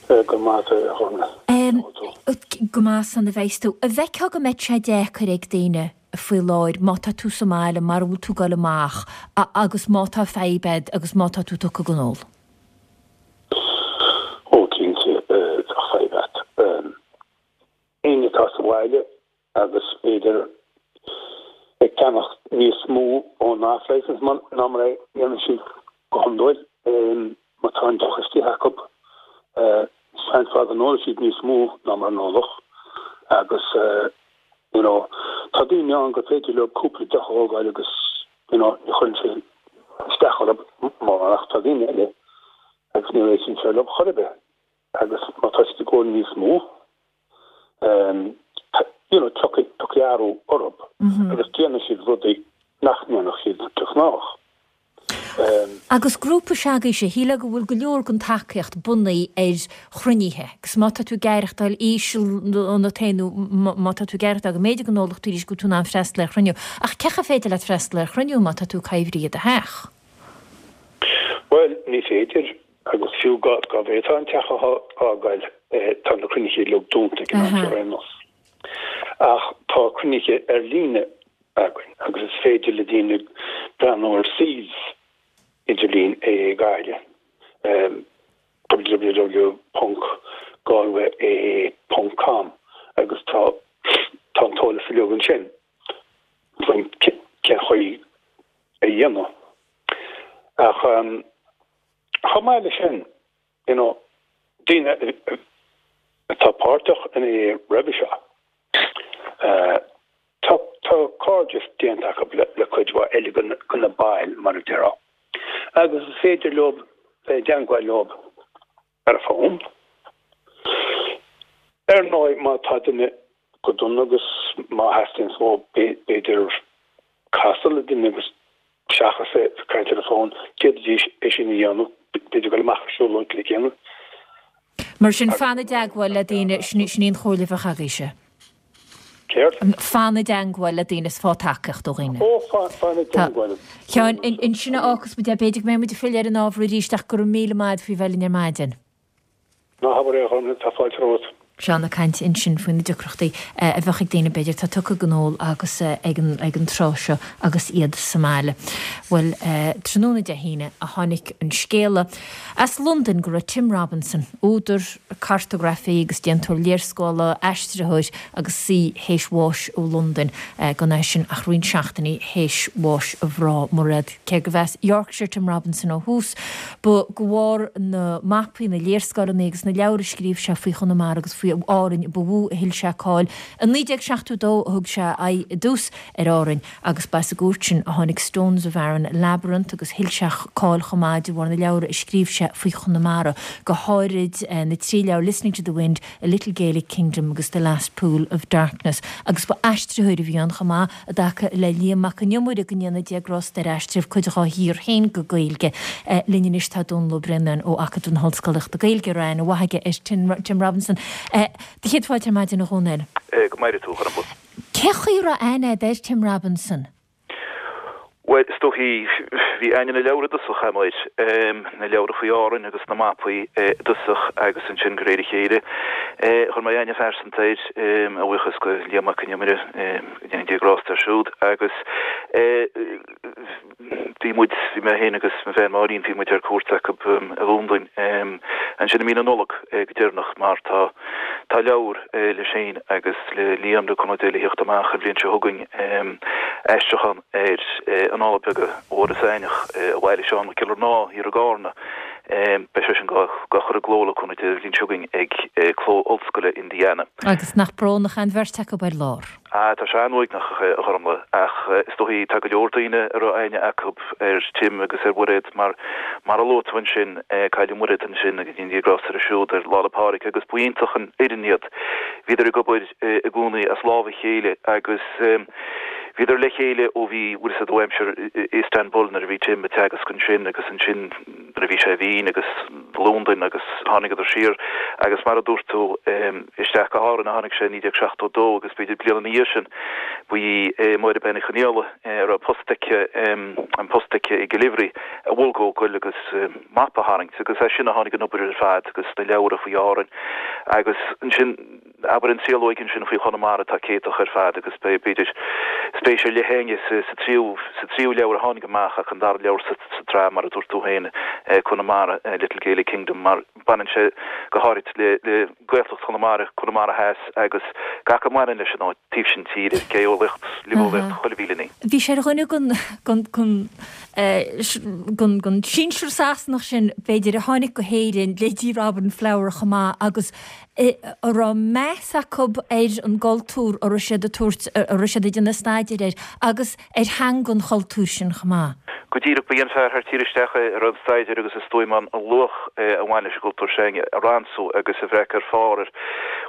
Go raibh maith agat a Ghormfhlaith. Go maith san a bheas tú. An bhfeicfeá go mbeidh sé deacair ag daoine faoi láthair má tá tú sa mbaile, mara bhfuil tú ag dul amach agus má tá fadhb agat agus má tá tú tugtha don ól? Ó cinnte bheadh fadhb agat. Éinne atá sa bhaile agus b'fhéidir ag ceannach níos mó ón off-licence ná mar a dhéanann siad go hiondúil. Má tá an deoch istigh acu, seans mhaith go n-ólfaidh siad níos mó ná mar a n-ólfadh agus you know tá daoine ann gur féidir leo cúpla deoch a thógáil agus you know ní chuireann sé isteach orthu mórán ach tá daoine eile agus ní réitíonn sé leo chor ar bith agus má tá siad ag ól níos mó you know, tiocfaidh, tiocfaidh athrú orthu agus déanfaidh siad rudaí nach ndéanfadh siad de ghnáth. Agus grúpa s'agaibhse, shílfeá go bhfuil go leor den tacaíocht bunaithe ar chruinnithe, agus má tá tú ag aireachtáil íseal ionat féin nó má tá tú ag aireachtáil go mb'fhéidir go n-ólfadh tú arís go bhfuil tú in ann freastal ar chruinniú. Ach cén chaoi ar féidir leat freastal ar chruinniú má tá tú ag taibhrí i do theach? Bhuel, ní féidir. Agus fiú dá bhféadfá an teach a fhágáil, tá na cruinnithe uilig dúnta ag an am seo ar aon nós. Ach tá cruinnithe ar líne againn agus is féidir le daoine breathnú ar suíomh idirlín AA Gaillimh, www.galwayaa.com, agus tá tá an t-eolas uilig ansin faoin cén chaoi a dhéanamh. Ach chomh maith leis sin, you know, daoine atá páirteach in AA roimhe seo, tá tá cairdeas déanta acu le cuid mhaith eile de na baill, mar a déarfá, agus is féidir leo bheith i dteangmháil leo ar an bhfón. Ar ndóigh, má tá duine go dona agus má theastaíonn uathu b'fhéidir casadh le duine agus seachas a bheith ag caint ar an bhfón, d'fhéadfaidís é sin a dhéanamh, b'fhéidir dul amach ar siúlóid le chéile. Mar sin, fan i dteagmháil le daoine, sin í an chomhairle a bheadh agaibhse. Céard? Fan i dteangmháil le daoine is faigh tacaíocht ó dhaoine. Ó, fan i dteangmháil. Sheáin, ansin a fhágfas muid é. B'fhéidir go mbeidh muid ag filleadh ar an ábhar arís ach go raibh míle maith agat faoi bheith linn ar maidin. Ná habair é, a Ghormfhlaith, tá fáilte romhat. Seán ag caint ansin faoi na deacrachtaí a bheadh ag daoine b'fhéidir atá tugtha don ól agus ag an ag an tráth seo agus iad sa mbaile. Bhuel, tráthnóna Dé hAoine a tháinig an scéala as Londain go raibh Tim Robinson, údar, cartagrafaí agus déantóir léarscála, aistritheoir agus saoi théis bháis ó Londain, gan é sin ach roinnt seachtainí théis bháis a mhná, Mairéad. Cé gurbh as Yorkshire Tim Robinson ó thús, ba de bharr na mapaí, na léarscáileanna agus na leabhar a scríobh sé faoi Chonamara agus faoi Árainn ba mhó a thuill sé cáil. I 1972 a thug sé a aghaidh i dtús ar Árainn. Agus ba as an gcuairt sin a tháinig Stones of Aran Labyrinth agus thuill sé cáil chomh maith de bharr na leabhar a scríobh sé faoi Chonamara, go háirid na trí leabhar Listening to the Wind, A Little Gaelic Kingdom agus The Last Pool of Darkness. Agus ba aistritheoir a bhí ann chomh maith i dtaca le Liam Mac an Iomaire, go ndéana Dia grásta air, aistrigh cuid dhá shaothar féin go Gaeilge. Linn anois tá Dónall Ó Braonáin ó Acadamh na hOllscolaíochta Gaeilge, a raibh aithne mhaith aige ar Tim Robinson. Do chéad fáilte ar maidin a Dhónaill. Go maire tú, a Ghormfhlaith. Cén chaoi a raibh aithne agat ar Tim Robinson? Bhuel, is dóichí, bhí aithne na leabhar i dtosach agam air, na leabhra faoi Árainn agus na mapaí i dtosach agus ansin de réir a chéile chuir mé aithne phearsanta air, a bhuíochas go Liam Mac an Iomaire, go ndéana Dia grásta air siúd, agus bhí muid, bhí mé féin agus mo bhean Máirín, bhí muid ar cuairt acu i Londain ansin i mí na Nollag go deireanach mar tá, tá leabhar leis féin agus le Liam, le cúnamh Dé, le thíocht amach an bhliain seo chugainn, aistriúchán ar Annála Beaga Mhuire Saighneach a bhailigh Seán Mac Giollarnáth thiar i gCarna. Beidh sé sin dhá chur i gcló le cúnamh Dé an bhliain seo chugainn ag Cló Ollscoile Indiana. Agus nach brónach é an bheirt acu ar lár? Ah, tá sé an-uaigneach, a Ghormfhlaith, ach is dóichí tá go leor daoine a raibh aithne acu ar Tim agus ar Mhuiréad mar, mar a luaigh tú ansin, cailleadh Muiréad ansin agus go ndéana Dia grásta uirthi siúd ar Lá 'le Pádraig agus ba iontach an fhoireann iad. Bhíodar ag obair i gcónaí as lámh a chéile agus. Bhíodar le chéile ó bhí, bhfuil fhios a'd, ó aimsir Istanbul nuair a bhí Tim ag teagasc ansin agus ansin nuair a bhí sé i Vín agus Londain agus tháinigeadar siar agus mar a dúirt tú isteach go hÁrainn a tháinig sé i 1972 agus b'fhéidir bliain ina dhiaidh sin ba í Máire Bean Uí Chonaola a raibh post aici, an post aici i gCill Oibhrí a mhol dhó goil agus mapa a tharraingt agus as sin a tháinig an obair ar fad agus na leabhra faoi Árainn agus ansin abair an triolóig ansin faoi Chonamara atá céadtach ar fad agus beidh, b'fhéidir, spéis ar leith againne sa tríú, sa tríú leabhar a tháinig amach ach an dara leabhar sa tsraith, mar a dúirt tú féin, Conamara, Little Gaelic Kingdom, mar baineann sé go háirid le, le Gaeltacht Chonamara, Conamara Theas agus gach a mbaineann leis an áit, taobh sin tíre, geolaíocht, luibheolaíocht, chuile mhíle ní. Bhí sé ar dhuine den, den, den, den, den sinsear Sasanach sin, b'fhéidir, a tháinig go hÉirinn, leithéidí Robin Flower chomh maith agus a raibh meas acu ar an gcultúr a raibh siad ag tabhairt, a raibh siad ag déanamh staidéir air agus ar theanga an chultúir sin chomh maith. Go díreach, ba é an fear thar tír isteach é a raibh an staidéar agus is dóigh an luach a bhain leis an gcultúr sin a ransú agus a bhreacadh ar phár ar,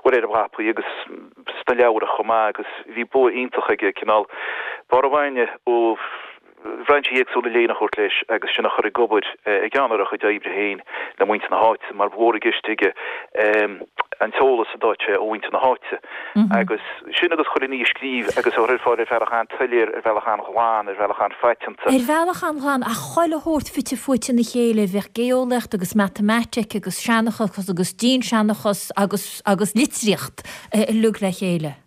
bhuel, ar mhapaí agus sna leabhra chomh maith agus bhí bua iontach aige cineál barr a bhainne ó bhrainsí éagsúla léinn a thabhairt leis agus sin a chur ag obair i gceann ar a chuid oibre féin le muintir na háite mar ba mhór i gceist aige an t-eolas a d'fhaigheadh sé ó mhuintir na háite agus sin agus chuile ní a scríobh agus a chur ar fáil ar bhealach an-tsoiléir, ar bhealach an-ghlan, ar bhealach an-phaiteanta. Ar bhealach an-ghlan ach chuile shórt fite fuaite ina chéile, bheadh geolaíocht agus matamaitic agus seanchas agus dianseanchas agus agus litríocht uilig le chéile.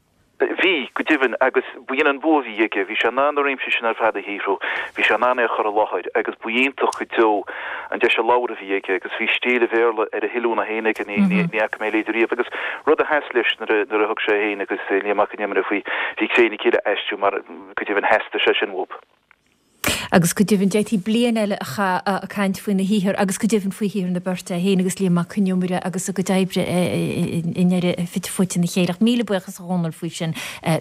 Bhí, go deimhin, agus b'in an bua a bhí aige. Bhí sé in ann na réimsí sin ar fad a shaothrú, bhí sé in ann é a chur i láthair agus ba iontach go deo an deis labhartha a bhí aige agus bhí stíl an Bhéarla ar a thuilleamh féin aige, ní fhaca mé a leithéid riamh. Agus rud a sheas leis nuair a thug sé féin agus Liam Mac Con Iomaire faoi, bhí Cré na Cille a aistriú mar go deimhin theastaigh sé sin uathu. Agus go deimhin, d'fhéadfaí bliain eile a chaitheamh ag caint faoina shaothar agus go deimhin faoi shaothar na beirte, é féin agus Liam Mac Con Iomaire agus a gcuid oibre i ndeireadh fite fuaite ina chéile. Ach míle buíochas a Dhónaill faoi sin.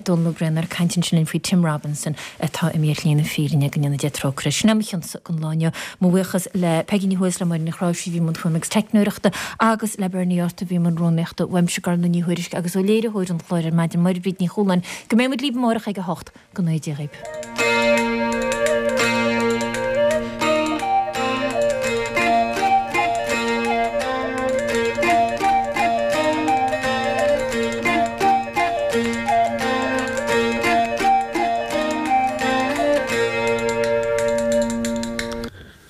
Dónall Ó Braonáin ag caint ansin linn faoi Tim Robinson atá imithe ar shlí na fírinne, go ndéana Dia trócaire air. Sin é mo chionsa don lá inniu. Mo bhuíochas le Peigí Ní Thuathail is le Máire Ní Chráimhsí a bhí i mbun fuaime agus teicneoireachta agus le Bernie Arthur a bhí i mbun rúnaíochta. Uaimse Gormfhlaith Ní Thuairisg agus ó léiritheoir an chláir ar maidin, Máire Bríd Ní Chualáin. Go mbeidh muid libh amárach ag a hocht. Go ngnóthaí Dia dhaoibh.